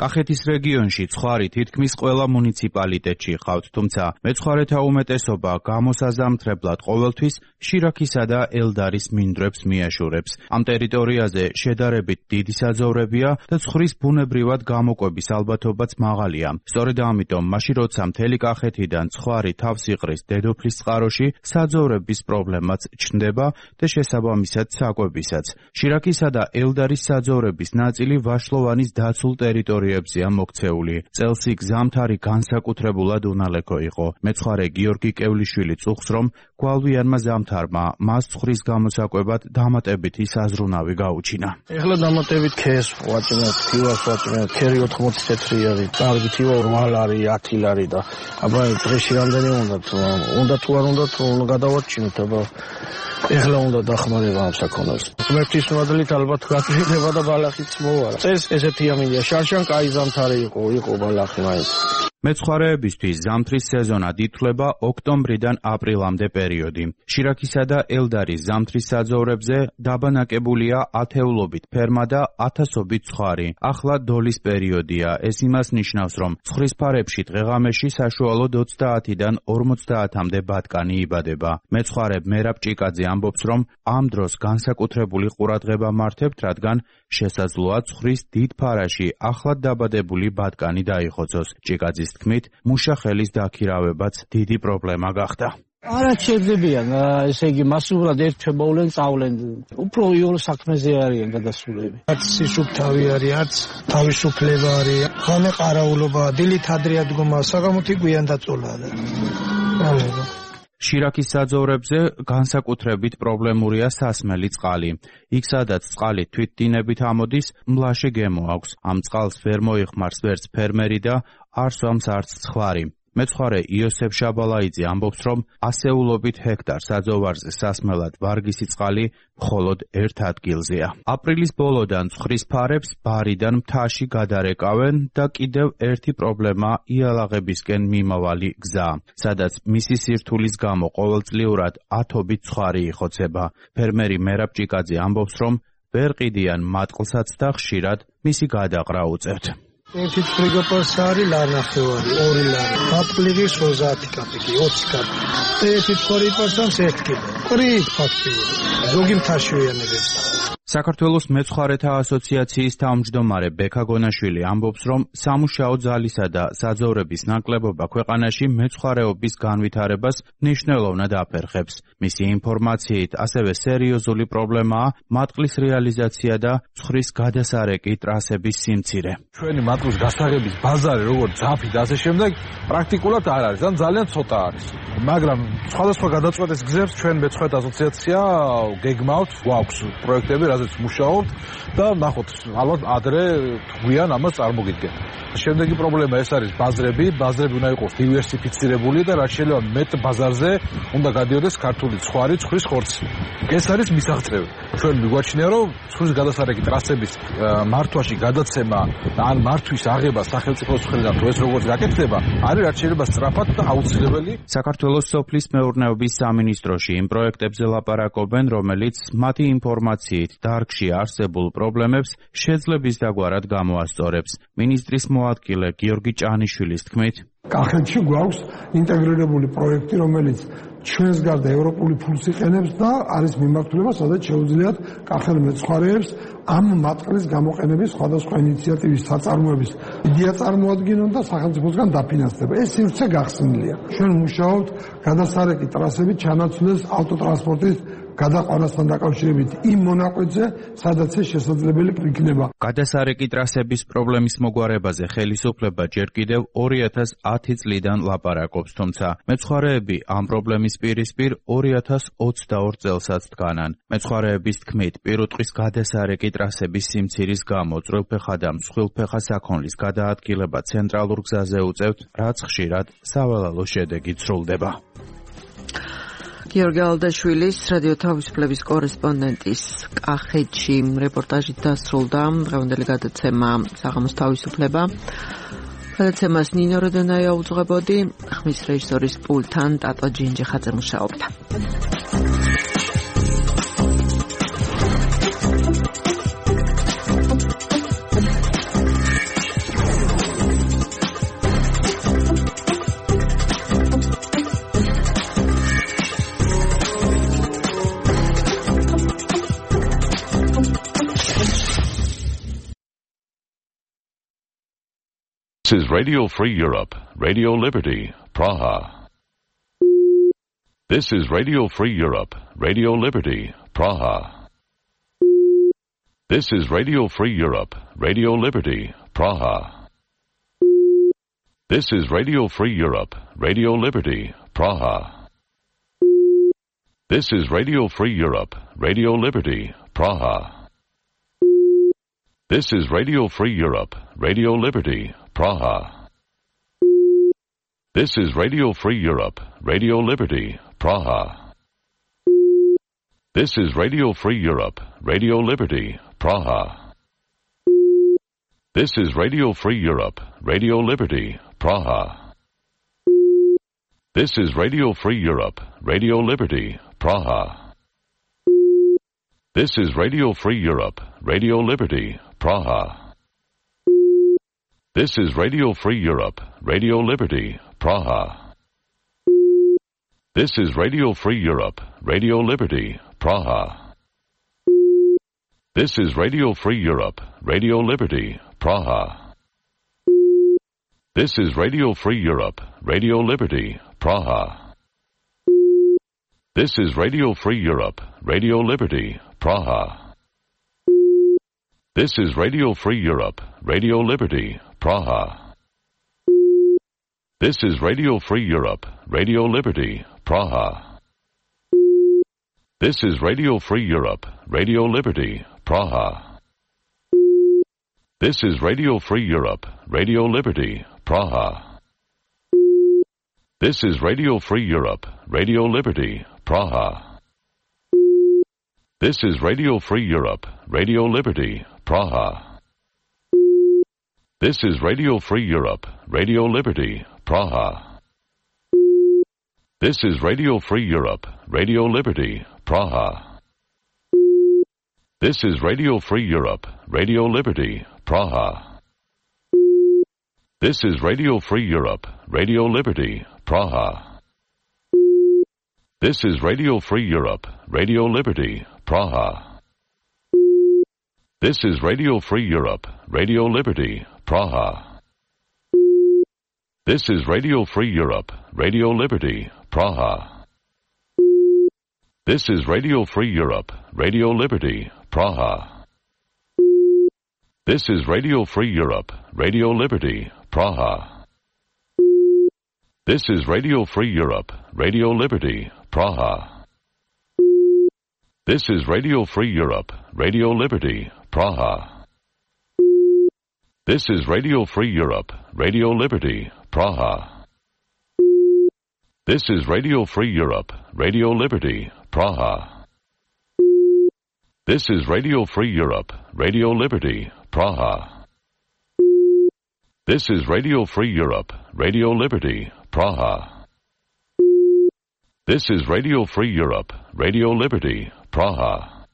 Speaker 16: კახეთის რეგიონში ცხარი თითქმის ყველა მუნიციპალიტეტში ხავთ, თუმცა მეცხვარეთა უმეტესობა გამოსაზამთრებლად ყოველთვის შირაქისა და ელდარის მინდვრებს მიაშურებს. ამ ტერიტორიაზე შედარებით დიდი საძოვრებია და ცხრის ბუნებრივად გამოკვების ალბათობაც მაღალია. სწორედ ამიტომ, მაშინ როცა მთელი კახეთიდან ცხარი თავს იყრის დედოფლის წყაროში, საძოვრების პრობლემაც ჩნდება და შესაბამისად საკვებისაც. შირაქისა და ელდარის საძოვრების ნაწილი ვაშლოვანის დაცულ ტერიტორიაზე მოქცეული. წელს იქ ზამთარი განსაკუთრებულად უნალექო იყო. მეცხვარე გიორგი კევლიშვილი წუხს, რომ გვალვიანმა ზამთარმა მას ცხრის გამოსაკვებად დამატებითი საზრუნავი გაუჩინა.
Speaker 17: ეხლა დამატებით ქეს ვაჭრებთ, თივას ვაჭრებთ, ქერი ოთხმოცი თეთრი არის, კარგი თივა რვა ლარი, ათი ლარი და აბა დღეში რამდენი უნდა თუ უნდა თუ არ უნდა თუ გადავაჩინოთ, აბა ეხლა უნდა დახმარება ამ საქონელს. ღმერთის მადლით ალბათ გაწინება და ბალახიც მოვარა. წეს ესეთი ამინია შარშან კაი ზამთარი იყო, იყო ბალახი მაინც.
Speaker 16: მეცხვარეებისთვის ზამთრის სეზონად ითვლება ოქტომბრიდან აპრილამდე პერიოდი. შირაქისა და ელდარის ზამთრის საძოვრებზე დაბანაკებულია ათეულობით ფერმა და ათასობით ცხარი. ახლა დოლის პერიოდია. ეს იმას ნიშნავს, რომ ცხრის ფარებში დღეღამეში საშუალოდ ოცდაათიდან ორმოცდაათამდე ბატკანი იბადება. მეცხვარე მერაბ ჭიკაძე ამბობს, რომ ამ დროს განსაკუთრებული ყურადღება მართავთ, რადგან შესაძლოა ცხრის დიდ ფარაში ახლად დაბადებული ბატკანი დაიხოცოს. ჭიკაძის თქმით, მუშახელის დაქირავებაც დიდი პრობლემა გახდა.
Speaker 17: არა შეძლებიან, ესე იგი მასიურად ერთმოვლენ, წავლენ. უფრო იოლ საქმეზე არიან გადასულები.
Speaker 18: არც სისუფთავი არის, არც თავისუფლება არის, ხანე ყარაულობა, დილით ადრე ადგომა, საღამოთი გვიან დაწოლა.
Speaker 16: შირაქის საძოვრებზე განსაკუთრებით პრობლემურია სასმელი წყალი. იქ სადაც წყალი თვითდინებით ამოდის, მლაშე გემო აქვს. ამ წყალს ვერ მოიხმარს ვერც ფერმერი და არ სვამს არც ცხარი. მეცხვარე იოსებ შაბალაიძე ამბობს, რომ ასეულობით ჰექტარ საძოვარზე სასმელად ვარგისი წყალი მხოლოდ ერთ ადგილზეა. აპრილის ბოლოდან ცხრის ფარებს ბარიდან მთაში გადარეკავენ და კიდევ ერთი პრობლემა იალაღებისკენ მიმავალი გზა, სადაც მისი სირთულის გამო ყოველწლიურად ათობით ცხარი იხოცება. ფერმერი მერაბ ჭიკაძე ამბობს, რომ ვერ ყიდიან მატყლსაც და ხშირად მისი გადაყრა უწევთ.
Speaker 18: ერთი ფრიგოპოს არის ლარნახევარი, ორი ლარი. აპლიგის ოცდაათი კაპიკი, ოცი კაპიკი. ერთი ორი პერსონს ერთი კილო. ყრით ფაქტიურად. ზოგი მთაში ვიანებებს.
Speaker 16: საქართველოს მეცხვარეთა ასოციაციის თავმჯდომარე ბექა გონაშვილი ამბობს, რომ სამუშაო ძალისა და საძოვრების ნაკლებობა ქვეყანაში მეცხვარეობის განვითარებას მნიშვნელოვნად აფერხებს. მისი ინფორმაციით, ასევე სერიოზული პრობლემაა მატყლის რეალიზაცია და ცხრის გადასარეკი ტრასების სიმცირე.
Speaker 19: ჩვენი მატყლის გასაღების ბაზარი, როგორც ძაფი და ასე შემდეგ, პრაქტიკულად არ არის, ან ძალიან ცოტა არის. მაგრამ სხვადასხვა გადაწყვეტის გზებს ჩვენ მეცხვარეთა ასოციაცია გეგმავთ, გვაქვს პროექტები, რაზეც მუშაობთ და ნახოთ, ალბათ ადრე გვიან ამას წარმოგიდგენთ. შემდეგი პრობლემა ეს არის ბაზრები, ბაზრები უნდა იყოს დივერსიფიცირებული და რაც შეიძლება მეტ ბაზარზე უნდა გადიოდეს ქართული ცხარი, ცხრის ხორცი. ეს არის მისაღწევი. ჩვენ მიგვაჩნია, რომ ცხრის გადასარეკი ტრასების მართვაში გადაცემა ან მართვის აღება სახელმწიფოს მხრიდან თუ ეს როგორც გაკეთდება, არის რაც შეიძლება სწრაფად და აუცილებელი.
Speaker 16: საქართველოს სოფლის მეურნეობის სამინისტროში იმ პროექტებზე ლაპარაკობენ, რომელიც მათი ინფორმაციით დარგში არსებულ პრობლემებს შეძლების დაგვარად გამოასწორებს. მინისტრის მოადგილე გიორგი ჭანიშვილის თქმით,
Speaker 18: კახეთში გვაქვს ინტეგრირებული პროექტი, რომელიც ჩვენს გარდა ევროპული ფულს იყენებს და არის მიმართულება, სადაც შეუძლიათ კახელ მეცხვარეებს ამ მატყლის გამოყენების სხვადასხვა ინიციატივის საწარმოების იდეა წარმოადგინონ და სახელმწიფოსგან დაფინანსდება. ეს სივრცე გახსნილია. ჩვენ მუშაობთ გადასარეკი ტრასებით ჩანაცვლეს ავტოტრანსპორტის გადაყვანასთან დაკავშირებით იმ მონაკვეთზე, სადაც ეს შესაძლებელი იქნება.
Speaker 16: გადასარეკი ტრასების პრობლემის მოგვარებაზე ხელისუფლება ჯერ კიდევ ორი ათას ათი წლიდან ლაპარაკობს, თუმცა მეცხვარეები ამ პრობლემის პირისპირ ორი ათას ოცდაორ წელსაც დგანან. მეცხვარეების თქმით, პირუტყვის გადასარეკი ტრასების სიმცირის გამო წვრილფეხა და მსხვილფეხა საქონლის გადაადგილება ცენტრალურ გზაზე უწევთ, რაც ხშირად სავალალო შედეგით სრულდება.
Speaker 2: გიორგი ალდაშვილის რადიო თავისუფლების კორესპონდენტის კახეთში რეპორტაჟით დასრულდა დღევანდელი გადაცემა საღამოს თავისუფლება. გადაცემას ნინო როდონაია უძღვებოდი, ხმის რეჟისორის პულტთან ტატო ჯინჯიხაძე მუშაობდა.
Speaker 20: This is Radio Free Europe, Radio Liberty, Praha. This is Radio Free Europe, Radio Liberty, Praha. This is Radio Free Europe, Radio Liberty, Praha. This is Radio Free Europe, Radio Liberty, Praha. This is Radio Free Europe, Radio Liberty, Praha. This is Radio Free Europe, Radio Liberty, Praha. This is Radio Free Europe, Radio Liberty, Praha. This is Radio Free Europe, Radio Liberty, Praha. This is Radio Free Europe, Radio Liberty, Praha. This is Radio Free Europe, Radio Liberty, Praha. This is Radio Free Europe, Radio Liberty, Praha. This is Radio Free Europe, Radio Liberty, Praha. This is Radio Free Europe, Radio Liberty, Praha. This is Radio Free Europe, Radio Liberty, Praha. This is Radio Free Europe, Radio Liberty, Praha. This is Radio Free Europe, Radio Liberty, Praha. This is Radio Free Europe, Radio Liberty, Praha. This is Radio Free Europe, Radio Liberty, Praha. This is Radio Free Europe, Radio Liberty, Praha. This is Radio Free Europe, Radio Liberty, Praha. This is Radio Free Europe, Radio Liberty, Praha. This is Radio Free Europe, Radio Liberty, Praha. This is Radio Free Europe, Radio Liberty, Praha. This is Radio Free Europe, Radio Liberty, Praha. This is Radio Free Europe, Radio Liberty, Praha. This is Radio Free Europe, Radio Liberty, Praha. This is Radio Free Europe, Radio Liberty, Praha. This is Radio Free Europe, Radio Liberty, Praha. This is Radio Free Europe, Radio Liberty, Praha. This is Radio Free Europe, Radio Liberty, Praha. This is Radio Free Europe, Radio Liberty, Praha. This is Radio Free Europe, Radio Liberty, Praha. This is Radio Free Europe, Radio Liberty, Praha. This is Radio Free Europe, Radio Liberty, Praha. This is Radio Free Europe, Radio Liberty, Praha. This is Radio Free Europe, Radio Liberty, Praha. This is Radio Free Europe, Radio Liberty, Praha. This is Radio Free Europe, Radio Liberty, Praha.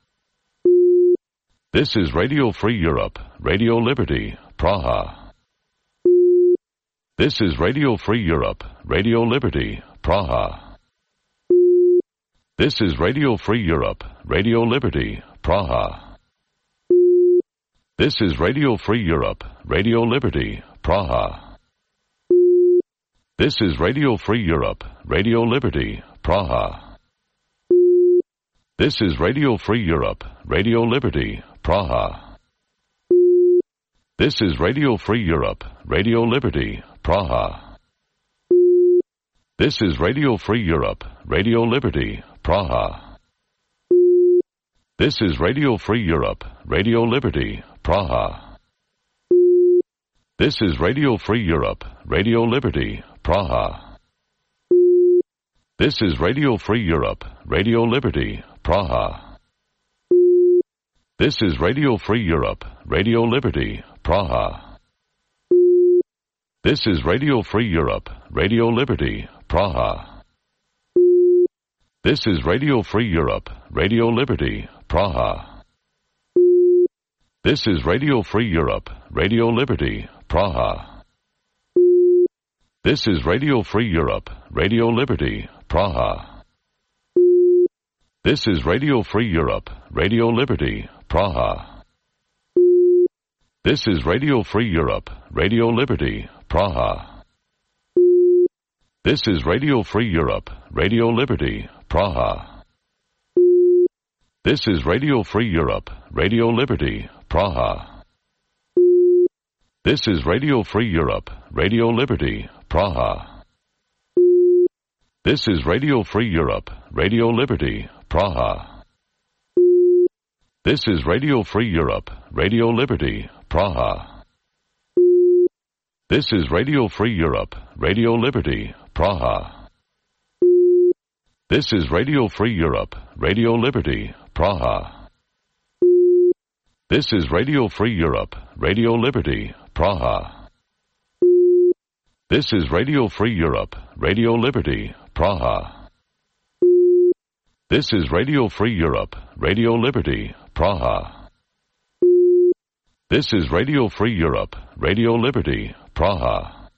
Speaker 20: This is Radio Free Europe, Radio Liberty, Praha. This is Radio Free Europe, Radio Liberty, Praha. This is Radio Free Europe, Radio Liberty, Praha. This is Radio Free Europe, Radio Liberty, Praha. This is Radio Free Europe, Radio Liberty, Praha. This is Radio Free Europe, Radio Liberty, Praha. This is Radio Free Europe, Radio Liberty, Praha. This is Radio Free Europe, Radio Liberty, Praha. This is Radio Free Europe, Radio Liberty, Praha. This is Radio Free Europe, Radio Liberty, Praha. This is Radio Free Europe, Radio Liberty, Praha. This is Radio Free Europe, Radio Liberty, Praha. This is Radio Free Europe, Radio Liberty, Praha. This is Radio Free Europe, Radio Liberty, Praha. This is Radio Free Europe, Radio Liberty, Praha. This is Radio Free Europe, Radio Liberty, Praha. This is Radio Free Europe, Radio Liberty, Praha. This is Radio Free Europe, Radio Liberty, Praha. This is Radio Free Europe, Radio Liberty, Praha. This is Radio Free Europe, Radio Liberty, Praha. This is Radio Free Europe, Radio Liberty, Praha. This is Radio Free Europe, Radio Liberty, Praha. This is Radio Free Europe, Radio Liberty, Praha. This is Radio Free Europe, Radio Liberty, Praha. This is Radio Free Europe, Radio Liberty, Praha. This is Radio Free Europe, Radio Liberty, Praha. This is Radio Free Europe, Radio Liberty, Praha. This is Radio Free Europe, Radio Liberty, Praha. This is Radio Free Europe, Radio Liberty, Praha.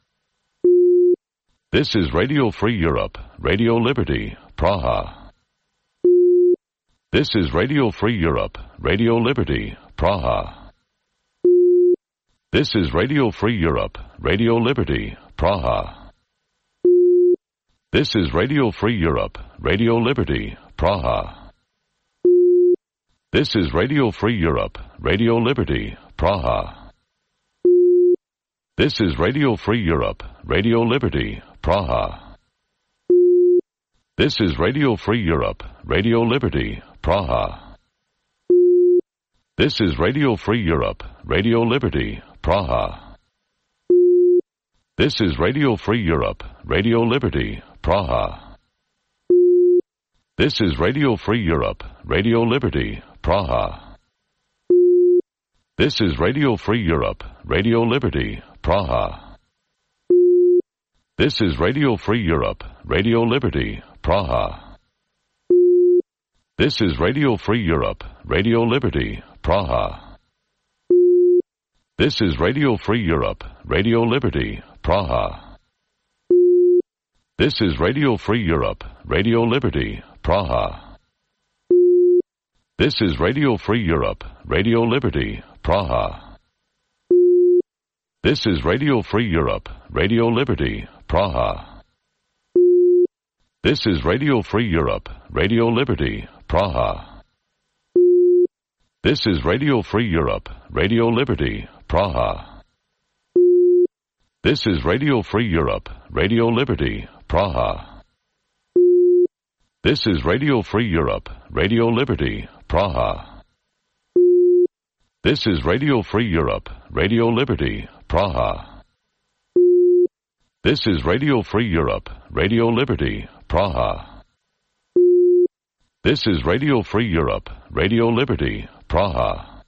Speaker 20: This is Radio Free Europe, Radio Liberty, Praha. This is Radio Free Europe, Radio Liberty, Praha. This is Radio Free Europe, Radio Liberty, Praha. This is Radio Free Europe, Radio Liberty, Praha. This is Radio Free Europe, Radio Liberty, Praha. This is Radio Free Europe, Radio Liberty, Praha. This is Radio Free Europe, Radio Liberty, Praha. This is Radio Free Europe, Radio Liberty, Praha. This is Radio Free Europe, Radio Liberty, Praha. This is Radio Free Europe, Radio Liberty, Praha. This is Radio Free Europe, Radio Liberty, Praha. This is Radio Free Europe, Radio Liberty, Praha. This is Radio Free Europe, Radio Liberty, Praha. This is Radio Free Europe, Radio Liberty, Praha. This is Radio Free Europe, Radio Liberty, Praha. This is Radio Free Europe, Radio Liberty, Praha. This is Radio Free Europe, Radio Liberty, Praha. This is Radio Free Europe, Radio Liberty, Praha. This is Radio Free Europe, Radio Liberty, Praha. This is Radio Free Europe, Radio Liberty, Praha. This is Radio Free Europe, Radio Liberty, Praha. This is Radio Free Europe, Radio Liberty, Praha. This is Radio Free Europe, Radio Liberty, Praha. This is Radio Free Europe, Radio Liberty, Praha.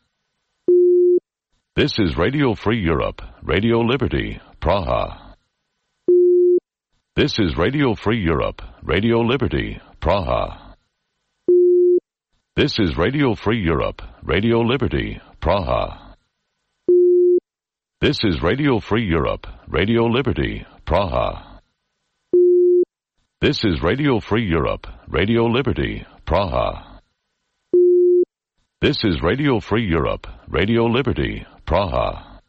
Speaker 20: This is Radio Free Europe, Radio Liberty, Praha. This is Radio Free Europe, Radio Liberty, Praha. This is Radio Free Europe, Radio Liberty, Praha. This is Radio Free Europe, Radio Liberty, Praha. This is Radio Free Europe, Radio Liberty, Praha. This is Radio Free Europe, Radio Liberty, Praha.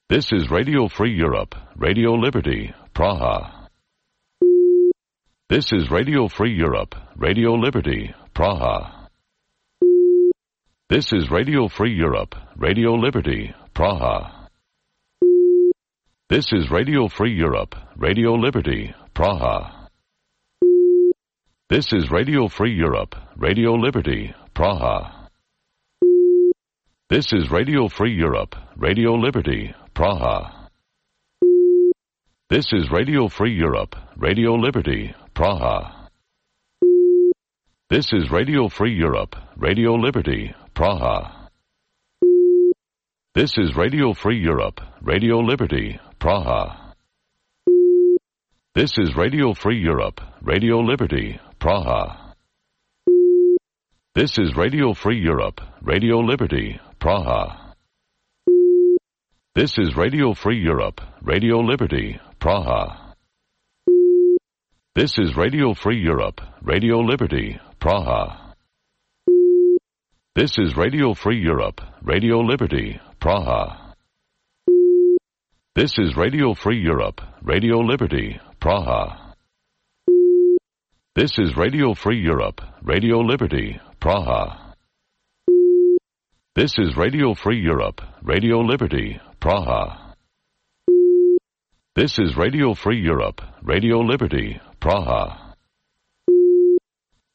Speaker 20: This is Radio Free Europe, Radio Liberty, Praha. This is Radio Free Europe, Radio Liberty, Praha. This is Radio Free Europe, Radio Liberty, Praha. This is Radio Free Europe, Radio Liberty, Praha. This is Radio Free Europe, Radio Liberty, Praha. This is Radio Free Europe, Radio Liberty, Praha. This is Radio Free Europe, Radio Liberty, Praha. This is Radio Free Europe, Radio Liberty, Praha. This is Radio Free Europe, Radio Liberty, Praha. This is Radio Free Europe, Radio Liberty, Praha. This is Radio Free Europe, Radio Liberty, Praha. This is Radio Free Europe, Radio Liberty, Praha. This is Radio Free Europe, Radio Liberty, Praha. This is Radio Free Europe, Radio Liberty, Praha. This is Radio Free Europe, Radio Liberty, Praha. This is Radio Free Europe, Radio Liberty, Praha. This is Radio Free Europe, Radio Liberty, Praha. This is Radio Free Europe, Radio Liberty, Praha.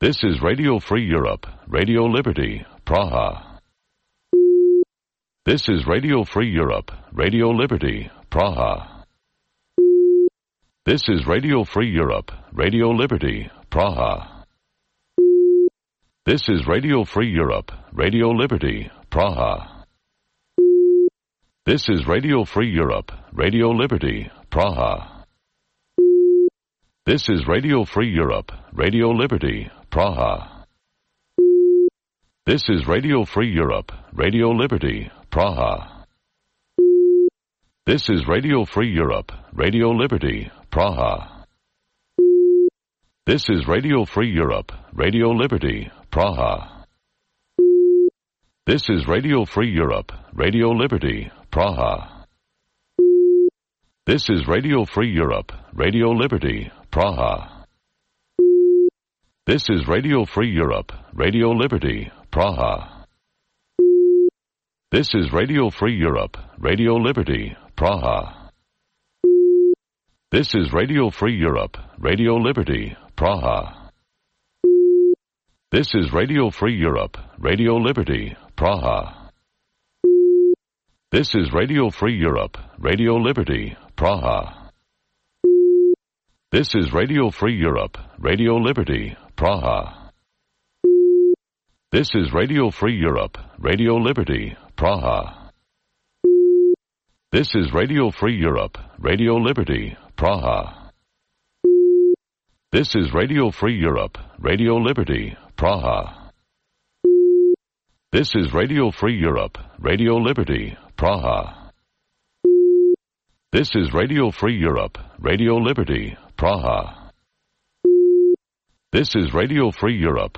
Speaker 20: This is Radio Free Europe, Radio Liberty, Praha. This is Radio Free Europe, Radio Liberty, Praha. This is Radio Free Europe, Radio Liberty, Praha. This is Radio Free Europe, Radio Liberty, Praha. This is Radio Free Europe, Radio Liberty, Praha. This is Radio Free Europe, Radio Liberty, Praha. This is Radio Free Europe, Radio Liberty, Praha. This is Radio Free Europe, Radio Liberty, Praha. This is Radio Free Europe, Radio Liberty, Praha. This is Radio Free Europe, Radio Liberty, Praha. This is Radio Free Europe, Radio Liberty, Praha. This is Radio Free Europe, Radio Liberty, Praha. This is Radio Free Europe, Radio Liberty, Praha. This is Radio Free Europe, Radio Liberty, Praha. This is Radio Free Europe, Radio Liberty, Praha. This is Radio Free Europe, Radio Liberty, Praha. This is Radio Free Europe, Radio Liberty, Praha. This is Radio Free Europe, Radio Liberty, Praha. This is Radio Free Europe, Radio Liberty, Praha. This is Radio Free Europe, Radio Liberty, Praha. This is Radio Free Europe, Radio Liberty, Praha. This is Radio Free Europe, Radio Liberty, Praha. This is Radio Free Europe,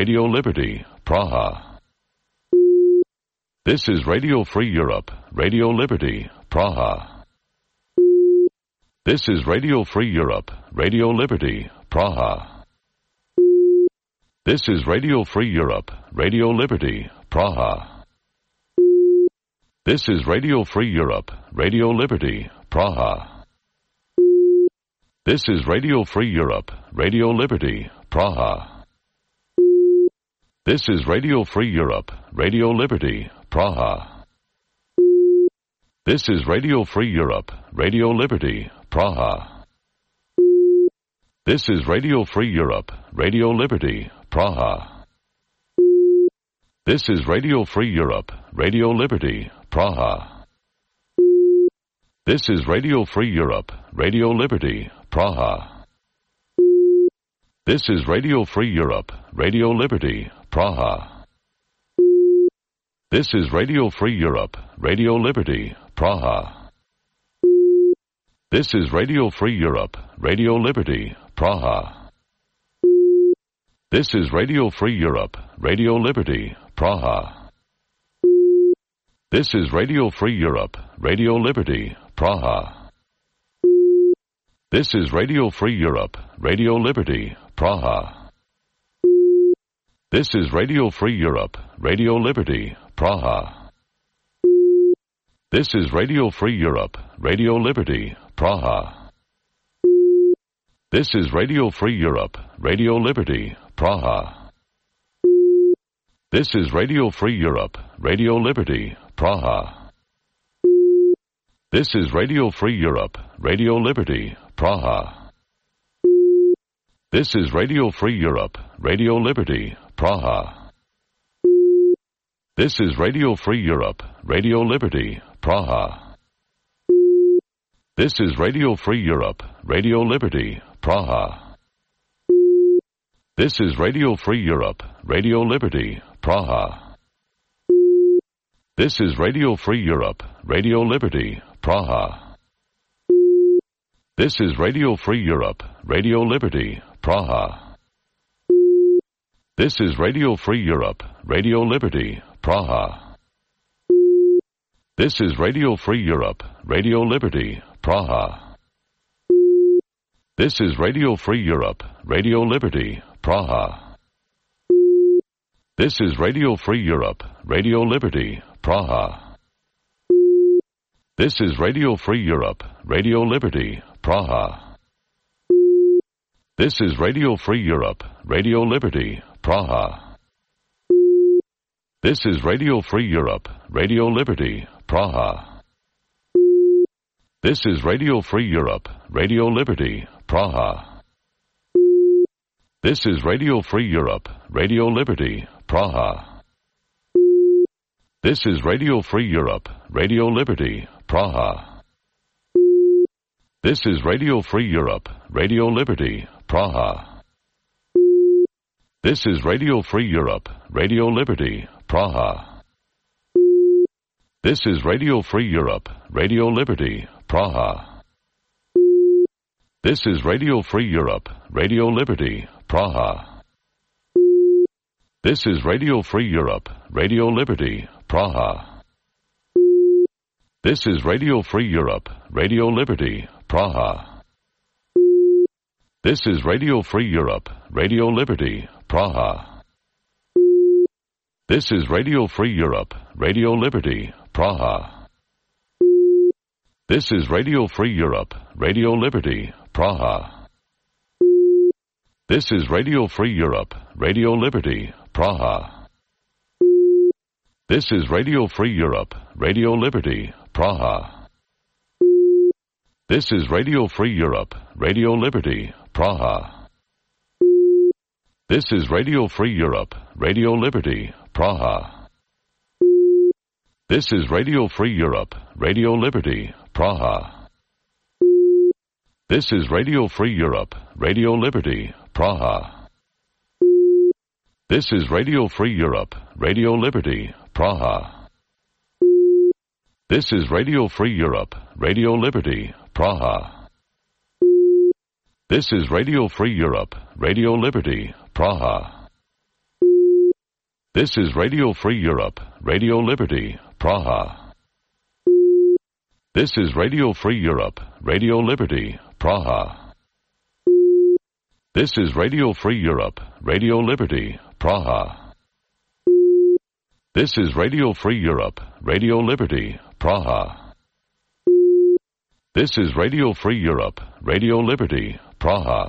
Speaker 20: Radio Liberty, Praha. This is Radio Free Europe, Radio Liberty, Praha. This is Radio Free Europe, Radio Liberty, Praha. This is Radio Free Europe, Radio Liberty, Praha. This is Radio Free Europe, Radio Liberty, Praha. This is Radio Free Europe, Radio Liberty, Praha. This is Radio Free Europe, Radio Liberty, Praha. This is Radio Free Europe, Radio Liberty, Praha. This is Radio Free Europe, Radio Liberty, Praha. This is Radio Free Europe, Radio Liberty, Praha. This is Radio Free Europe, Radio Liberty, Praha. This is Radio Free Europe, Radio Liberty, Praha. This is Radio Free Europe, Radio Liberty, Praha. This is Radio Free Europe, Radio Liberty, Praha. This is Radio Free Europe, Radio Liberty, Praha. This is Radio Free Europe, Radio Liberty, Praha. This is Radio Free Europe, Radio Liberty, Praha. This is Radio Free Europe, Radio Liberty, Praha. This is Radio Free Europe, Radio Liberty, Praha. This is Radio Free Europe, Radio Liberty, Praha. This is Radio Free Europe, Radio Liberty, Praha. This is Radio Free Europe, Radio Liberty, Praha. This is Radio Free Europe, Radio Liberty, Praha. This is Radio Free Europe, Radio Liberty, Praha. This is Radio Free Europe, Radio Liberty, Praha. This is Radio Free Europe, Radio Liberty, Praha. This is Radio Free Europe, Radio Liberty, Praha. This is Radio Free Europe, Radio Liberty, Praha. This is Radio Free Europe, Radio Liberty, Praha. This is Radio Free Europe, Radio Liberty, Praha. This is Radio Free Europe, Radio Liberty, Praha. This is Radio Free Europe, Radio Liberty, Praha. This is Radio Free Europe, Radio Liberty, Praha. This is Radio Free Europe, Radio Liberty, Praha. This is Radio Free Europe, Radio Liberty, Praha. This is Radio Free Europe, Radio Liberty, Praha. This is Radio Free Europe, Radio Liberty, Praha. This is Radio Free Europe, Radio Liberty, Praha. This is Radio Free Europe, Radio Liberty, Praha. This is Radio Free Europe, Radio Liberty, Praha. This is Radio Free Europe, Radio Liberty, Praha. This is Radio Free Europe, Radio Liberty, Praha. This is Radio Free Europe, Radio Liberty, Praha. This is Radio Free Europe, Radio Liberty, Praha. This is Radio Free Europe, Radio Liberty, Praha. This is Radio Free Europe, Radio Liberty, Praha. This is Radio Free Europe, Radio Liberty, Praha. This is Radio Free Europe, Radio Liberty, Praha. This is Radio Free Europe, Radio Liberty, Praha. This is Radio Free Europe, Radio Liberty, Praha. This is Radio Free Europe, Radio Liberty, Praha. This is Radio Free Europe, Radio Liberty, Praha. This is Radio Free Europe, Radio Liberty, Praha. This is Radio Free Europe, Radio Liberty, Praha. This is Radio Free Europe, Radio Liberty, Praha. This is Radio Free Europe, Radio Liberty, Praha. This is Radio Free Europe, Radio Liberty, Praha. This is Radio Free Europe, Radio Liberty, Praha. This is Radio Free Europe, Radio Liberty, Praha. This is Radio Free Europe, Radio Liberty, Praha. This is Radio Free Europe, Radio Liberty, Praha.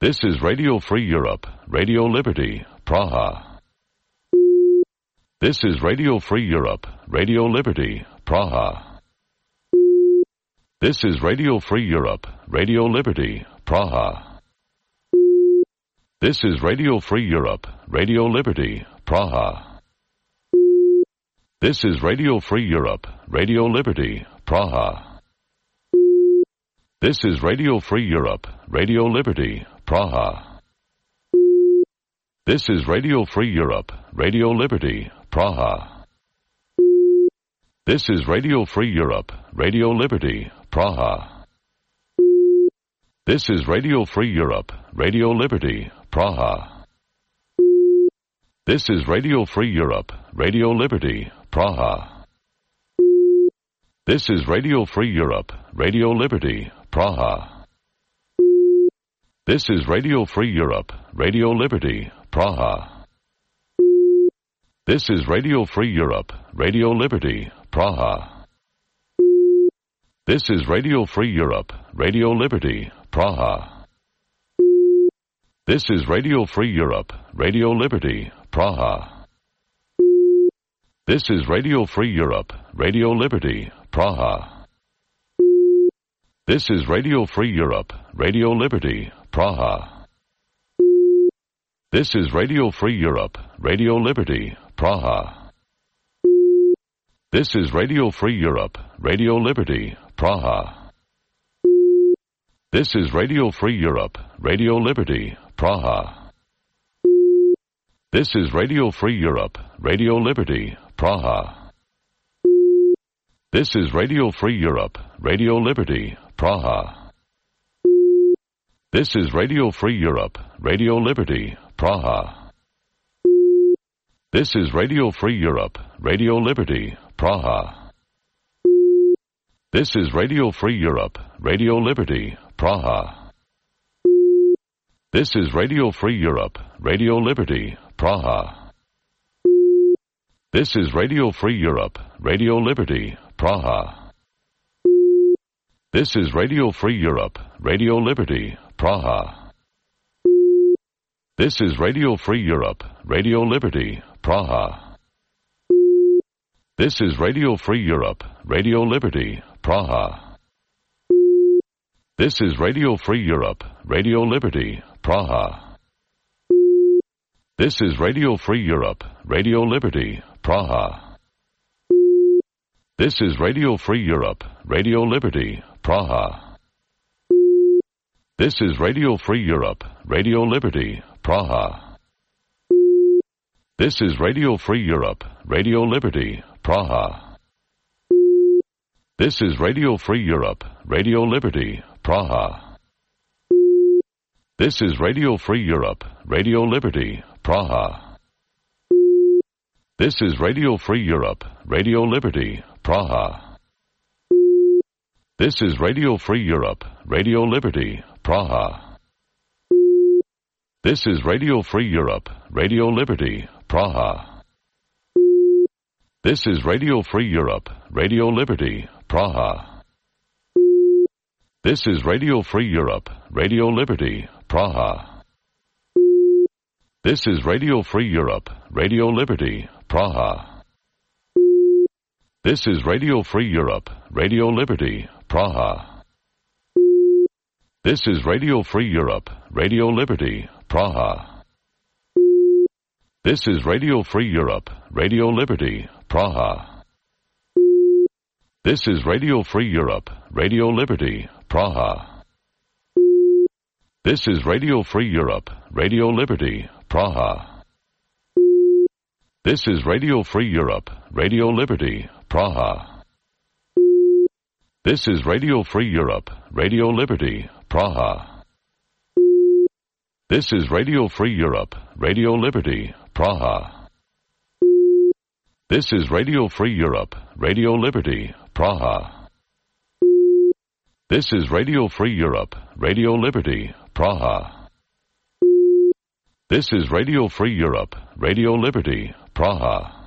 Speaker 20: This is Radio Free Europe, Radio Liberty, Praha. This is Radio Free Europe, Radio Liberty, Praha. This is Radio Free Europe, Radio Liberty, Praha. This is Radio Free Europe, Radio Liberty, Praha. This is Radio Free Europe, Radio Liberty, Praha. This is Radio Free Europe, Radio Liberty, Praha. This is Radio Free Europe, Radio Liberty, Praha. This is Radio Free Europe, Radio Liberty, Praha. This is Radio Free Europe, Radio Liberty, Praha. This is Radio Free Europe, Radio Liberty, Praha. This is Radio Free Europe, Radio Liberty, Praha. This is Radio Free Europe, Radio Liberty, Praha. This is Radio Free Europe, Radio Liberty, Praha. This is Radio Free Europe, Radio Liberty, Praha. This is Radio Free Europe, Radio Liberty, Praha. This is Radio Free Europe, Radio Liberty, Praha. This is Radio Free Europe, Radio Liberty, Praha. This is Radio Free Europe, Radio Liberty, Praha. This is Radio Free Europe, Radio Liberty, Praha. This is Radio Free Europe, Radio Liberty, Praha. This is Radio Free Europe, Radio Liberty, Praha. This is Radio Free Europe, Radio Liberty, Praha. This is Radio Free Europe, Radio Liberty, Praha. This is Radio Free Europe, Radio Liberty, Praha. This is Radio Free Europe, Radio Liberty, Praha. This is Radio Free Europe, Radio Liberty, Praha. This is Radio Free Europe, Radio Liberty, Praha. This is Radio Free Europe, Radio Liberty, Praha. This is Radio Free Europe, Radio Liberty, Praha. This is Radio Free Europe, Radio Liberty, Praha. This is Radio Free Europe, Radio Liberty, Praha. This is Radio Free Europe, Radio Liberty, Praha. This is Radio Free Europe, Radio Liberty, Praha. This is Radio Free Europe, Radio Liberty, Praha. This is Radio Free Europe, Radio Liberty, Praha. This is Radio Free Europe, Radio Liberty, Praha. This is Radio Free Europe, Radio Liberty, Praha. This is Radio Free Europe, Radio Liberty, Praha. This is Radio Free Europe, Radio Liberty, Praha. This is Radio Free Europe, Radio Liberty, Praha. This is Radio Free Europe, Radio Liberty, Praha. This is Radio Free Europe, Radio Liberty, Praha. This is Radio Free Europe, Radio Liberty, Praha. This is Radio Free Europe, Radio Liberty, Praha. This is Radio Free Europe, Radio Liberty, Praha. This is Radio Free Europe, Radio Liberty, Praha. This is Radio Free Europe, Radio Liberty, Praha. This is Radio Free Europe, Radio Liberty, Praha. This is Radio Free Europe, Radio Liberty, Praha. This is Radio Free Europe, Radio Liberty, Praha. This is Radio Free Europe, Radio Liberty, Praha. This is Radio Free Europe, Radio Liberty, Praha. This is Radio Free Europe, Radio Liberty, Praha. This is Radio Free Europe, Radio Liberty, Praha.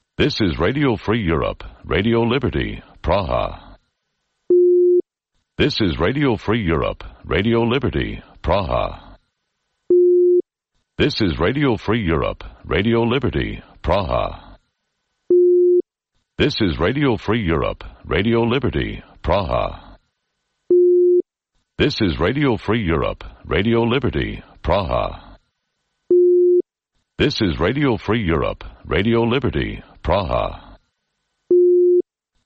Speaker 20: This is Radio Free Europe, Radio Liberty, Praha. This is Radio Free Europe, Radio Liberty, Praha. This is Radio Free Europe, Radio Liberty, Praha. This is Radio Free Europe, Radio Liberty, Praha. This is Radio Free Europe, Radio Liberty, Praha. This is Radio Free Europe, Radio Liberty, Praha.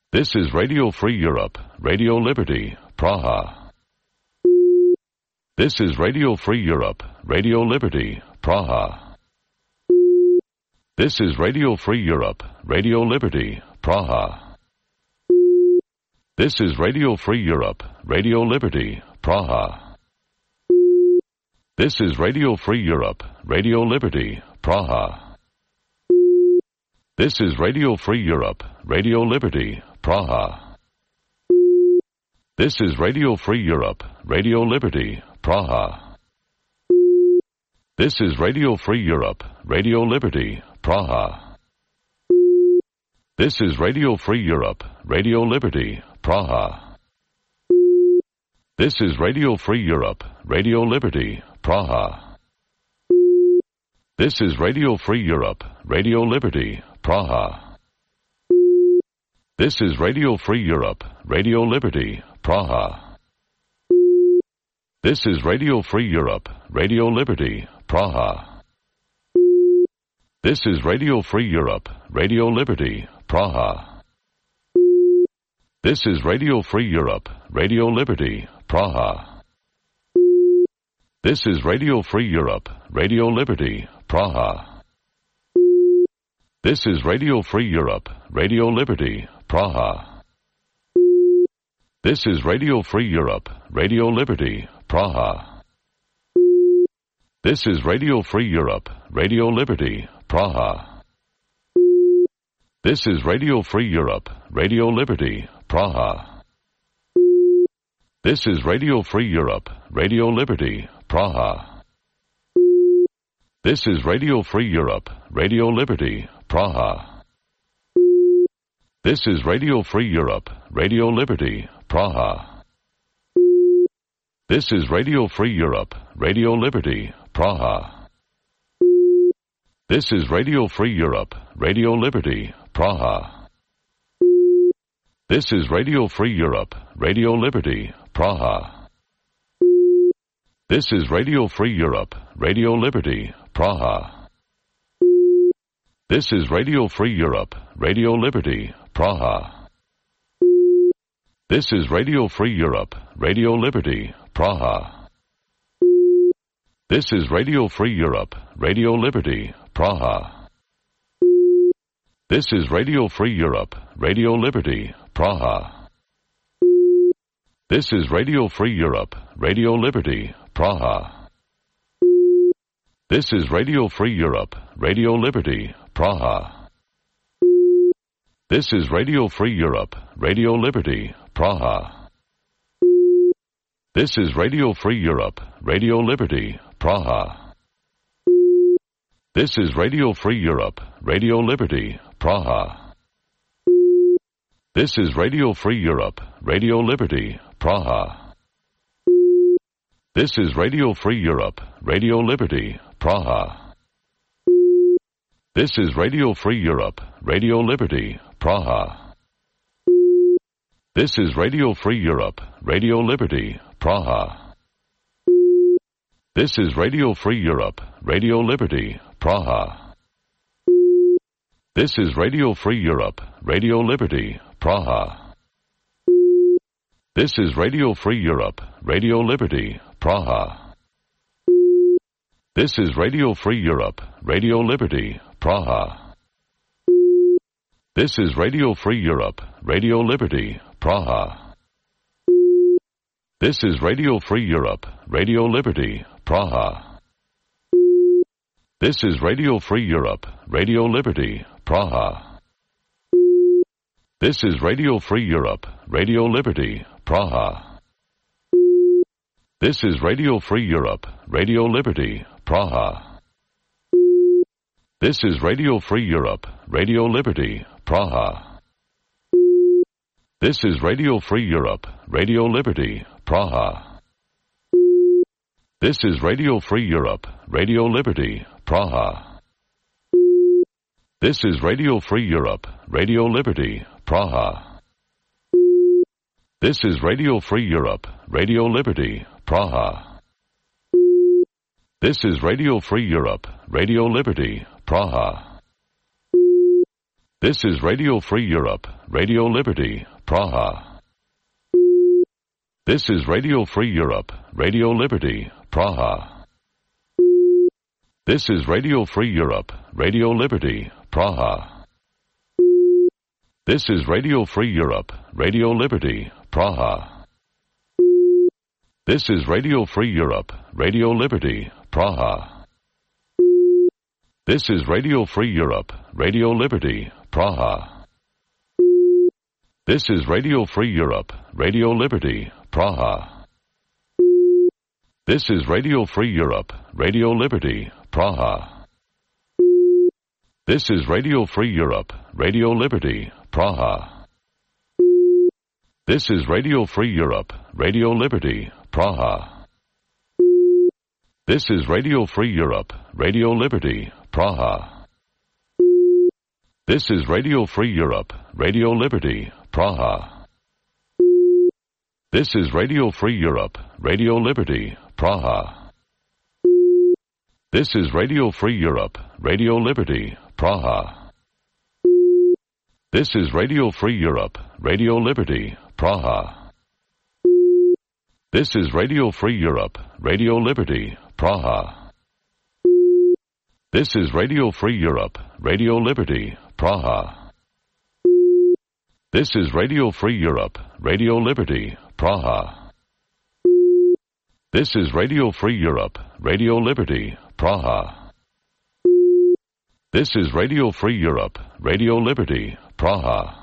Speaker 20: This is Radio Free Europe, Radio Liberty, Praha. This is Radio Free Europe, Radio Liberty, Praha. This is Radio Free Europe, Radio Liberty, Praha. This is Radio Free Europe, Radio Liberty, Praha. This is Radio Free Europe, Radio Liberty, Praha. This is Radio Free Europe, Radio Liberty, Praha. This is Radio Free Europe, Radio Liberty, Praha. This is Radio Free Europe, Radio Liberty, Praha. This is Radio Free Europe, Radio Liberty, Praha. This is Radio Free Europe, Radio Liberty, Praha. This is Radio Free Europe, Radio Liberty, Praha. This is Radio Free Europe, Radio Liberty, Praha. This is Radio Free Europe, Radio Liberty, Praha. This is Radio Free Europe, Radio Liberty, Praha. This is Radio Free Europe, Radio Liberty, Praha. This is Radio Free Europe, Radio Liberty, Praha. This is Radio Free Europe, Radio Liberty, Praha. This is Radio Free Europe, Radio Liberty, Praha. This is Radio Free Europe, Radio Liberty, Praha. This is Radio Free Europe, Radio Liberty, Praha. This is Radio Free Europe, Radio Liberty, Praha. This is Radio Free Europe, Radio Liberty, Praha. This is Radio Free Europe, Radio Liberty, Praha. This is Radio Free Europe, Radio Liberty, Praha. This is Radio Free Europe, Radio Liberty, Praha. This is Radio Free Europe, Radio Liberty, Praha. This is Radio Free Europe, Radio Liberty, Praha. This is Radio Free Europe, Radio Liberty, Praha. This is Radio Free Europe, Radio Liberty, Praha. This is Radio Free Europe, Radio Liberty, Praha. This is Radio Free Europe, Radio Liberty, Praha. This is Radio Free Europe, Radio Liberty, Praha. This is Radio Free Europe, Radio Liberty, Praha. This is Radio Free Europe, Radio Liberty, Praha. This is Radio Free Europe, Radio Liberty, Praha. This is Radio Free Europe, Radio Liberty, Praha. This is Radio Free Europe, Radio Liberty, Praha. This is Radio Free Europe, Radio Liberty, Praha. This is Radio Free Europe, Radio Liberty, Praha. This is Radio Free Europe, Radio Liberty, Praha. This is Radio Free Europe, Radio Liberty, Praha. This is Radio Free Europe, Radio Liberty, Praha. This is Radio Free Europe, Radio Liberty, Praha. This is Radio Free Europe, Radio Liberty, Praha. This is Radio Free Europe, Radio Liberty, Praha. This is Radio Free Europe, Radio Liberty, Praha. This is Radio Free Europe, Radio Liberty, Praha. This is Radio Free Europe, Radio Liberty, Praha. This is Radio Free Europe, Radio Liberty, Praha. This is Radio Free Europe, Radio Liberty, Praha. This is Radio Free Europe, Radio Liberty, Praha. This is Radio Free Europe, Radio Liberty, Praha. This is Radio Free Europe, Radio Liberty, Praha. This is Radio Free Europe, Radio Liberty, Praha. This is Radio Free Europe, Radio Liberty, Praha. This is Radio Free Europe, Radio Liberty, Praha. This is Radio Free Europe, Radio Liberty, Praha. This is Radio Free Europe, Radio Liberty, Praha. This is Radio Free Europe, Radio Liberty, Praha. This is Radio Free Europe, Radio Liberty, Praha. This is Radio Free Europe, Radio Liberty, Praha. This is Radio Free Europe, Radio Liberty, Praha. This is Radio Free Europe, Radio Liberty, Praha. This is Radio Free Europe, Radio Liberty, Praha. This is Radio Free Europe, Radio Liberty, Praha. This is Radio Free Europe, Radio Liberty, Praha. This is Radio Free Europe, Radio Liberty, Praha. This is Radio Free Europe, Radio Liberty, Praha. This is Radio Free Europe, Radio Liberty, Praha. This is Radio Free Europe, Radio Liberty, Praha. This is Radio Free Europe, Radio Liberty, Praha. This is Radio Free Europe, Radio Liberty, Praha. This is Radio Free Europe, Radio Liberty, Praha. This is Radio Free Europe, Radio Liberty, Praha. This is Radio Free Europe, Radio Liberty, Praha.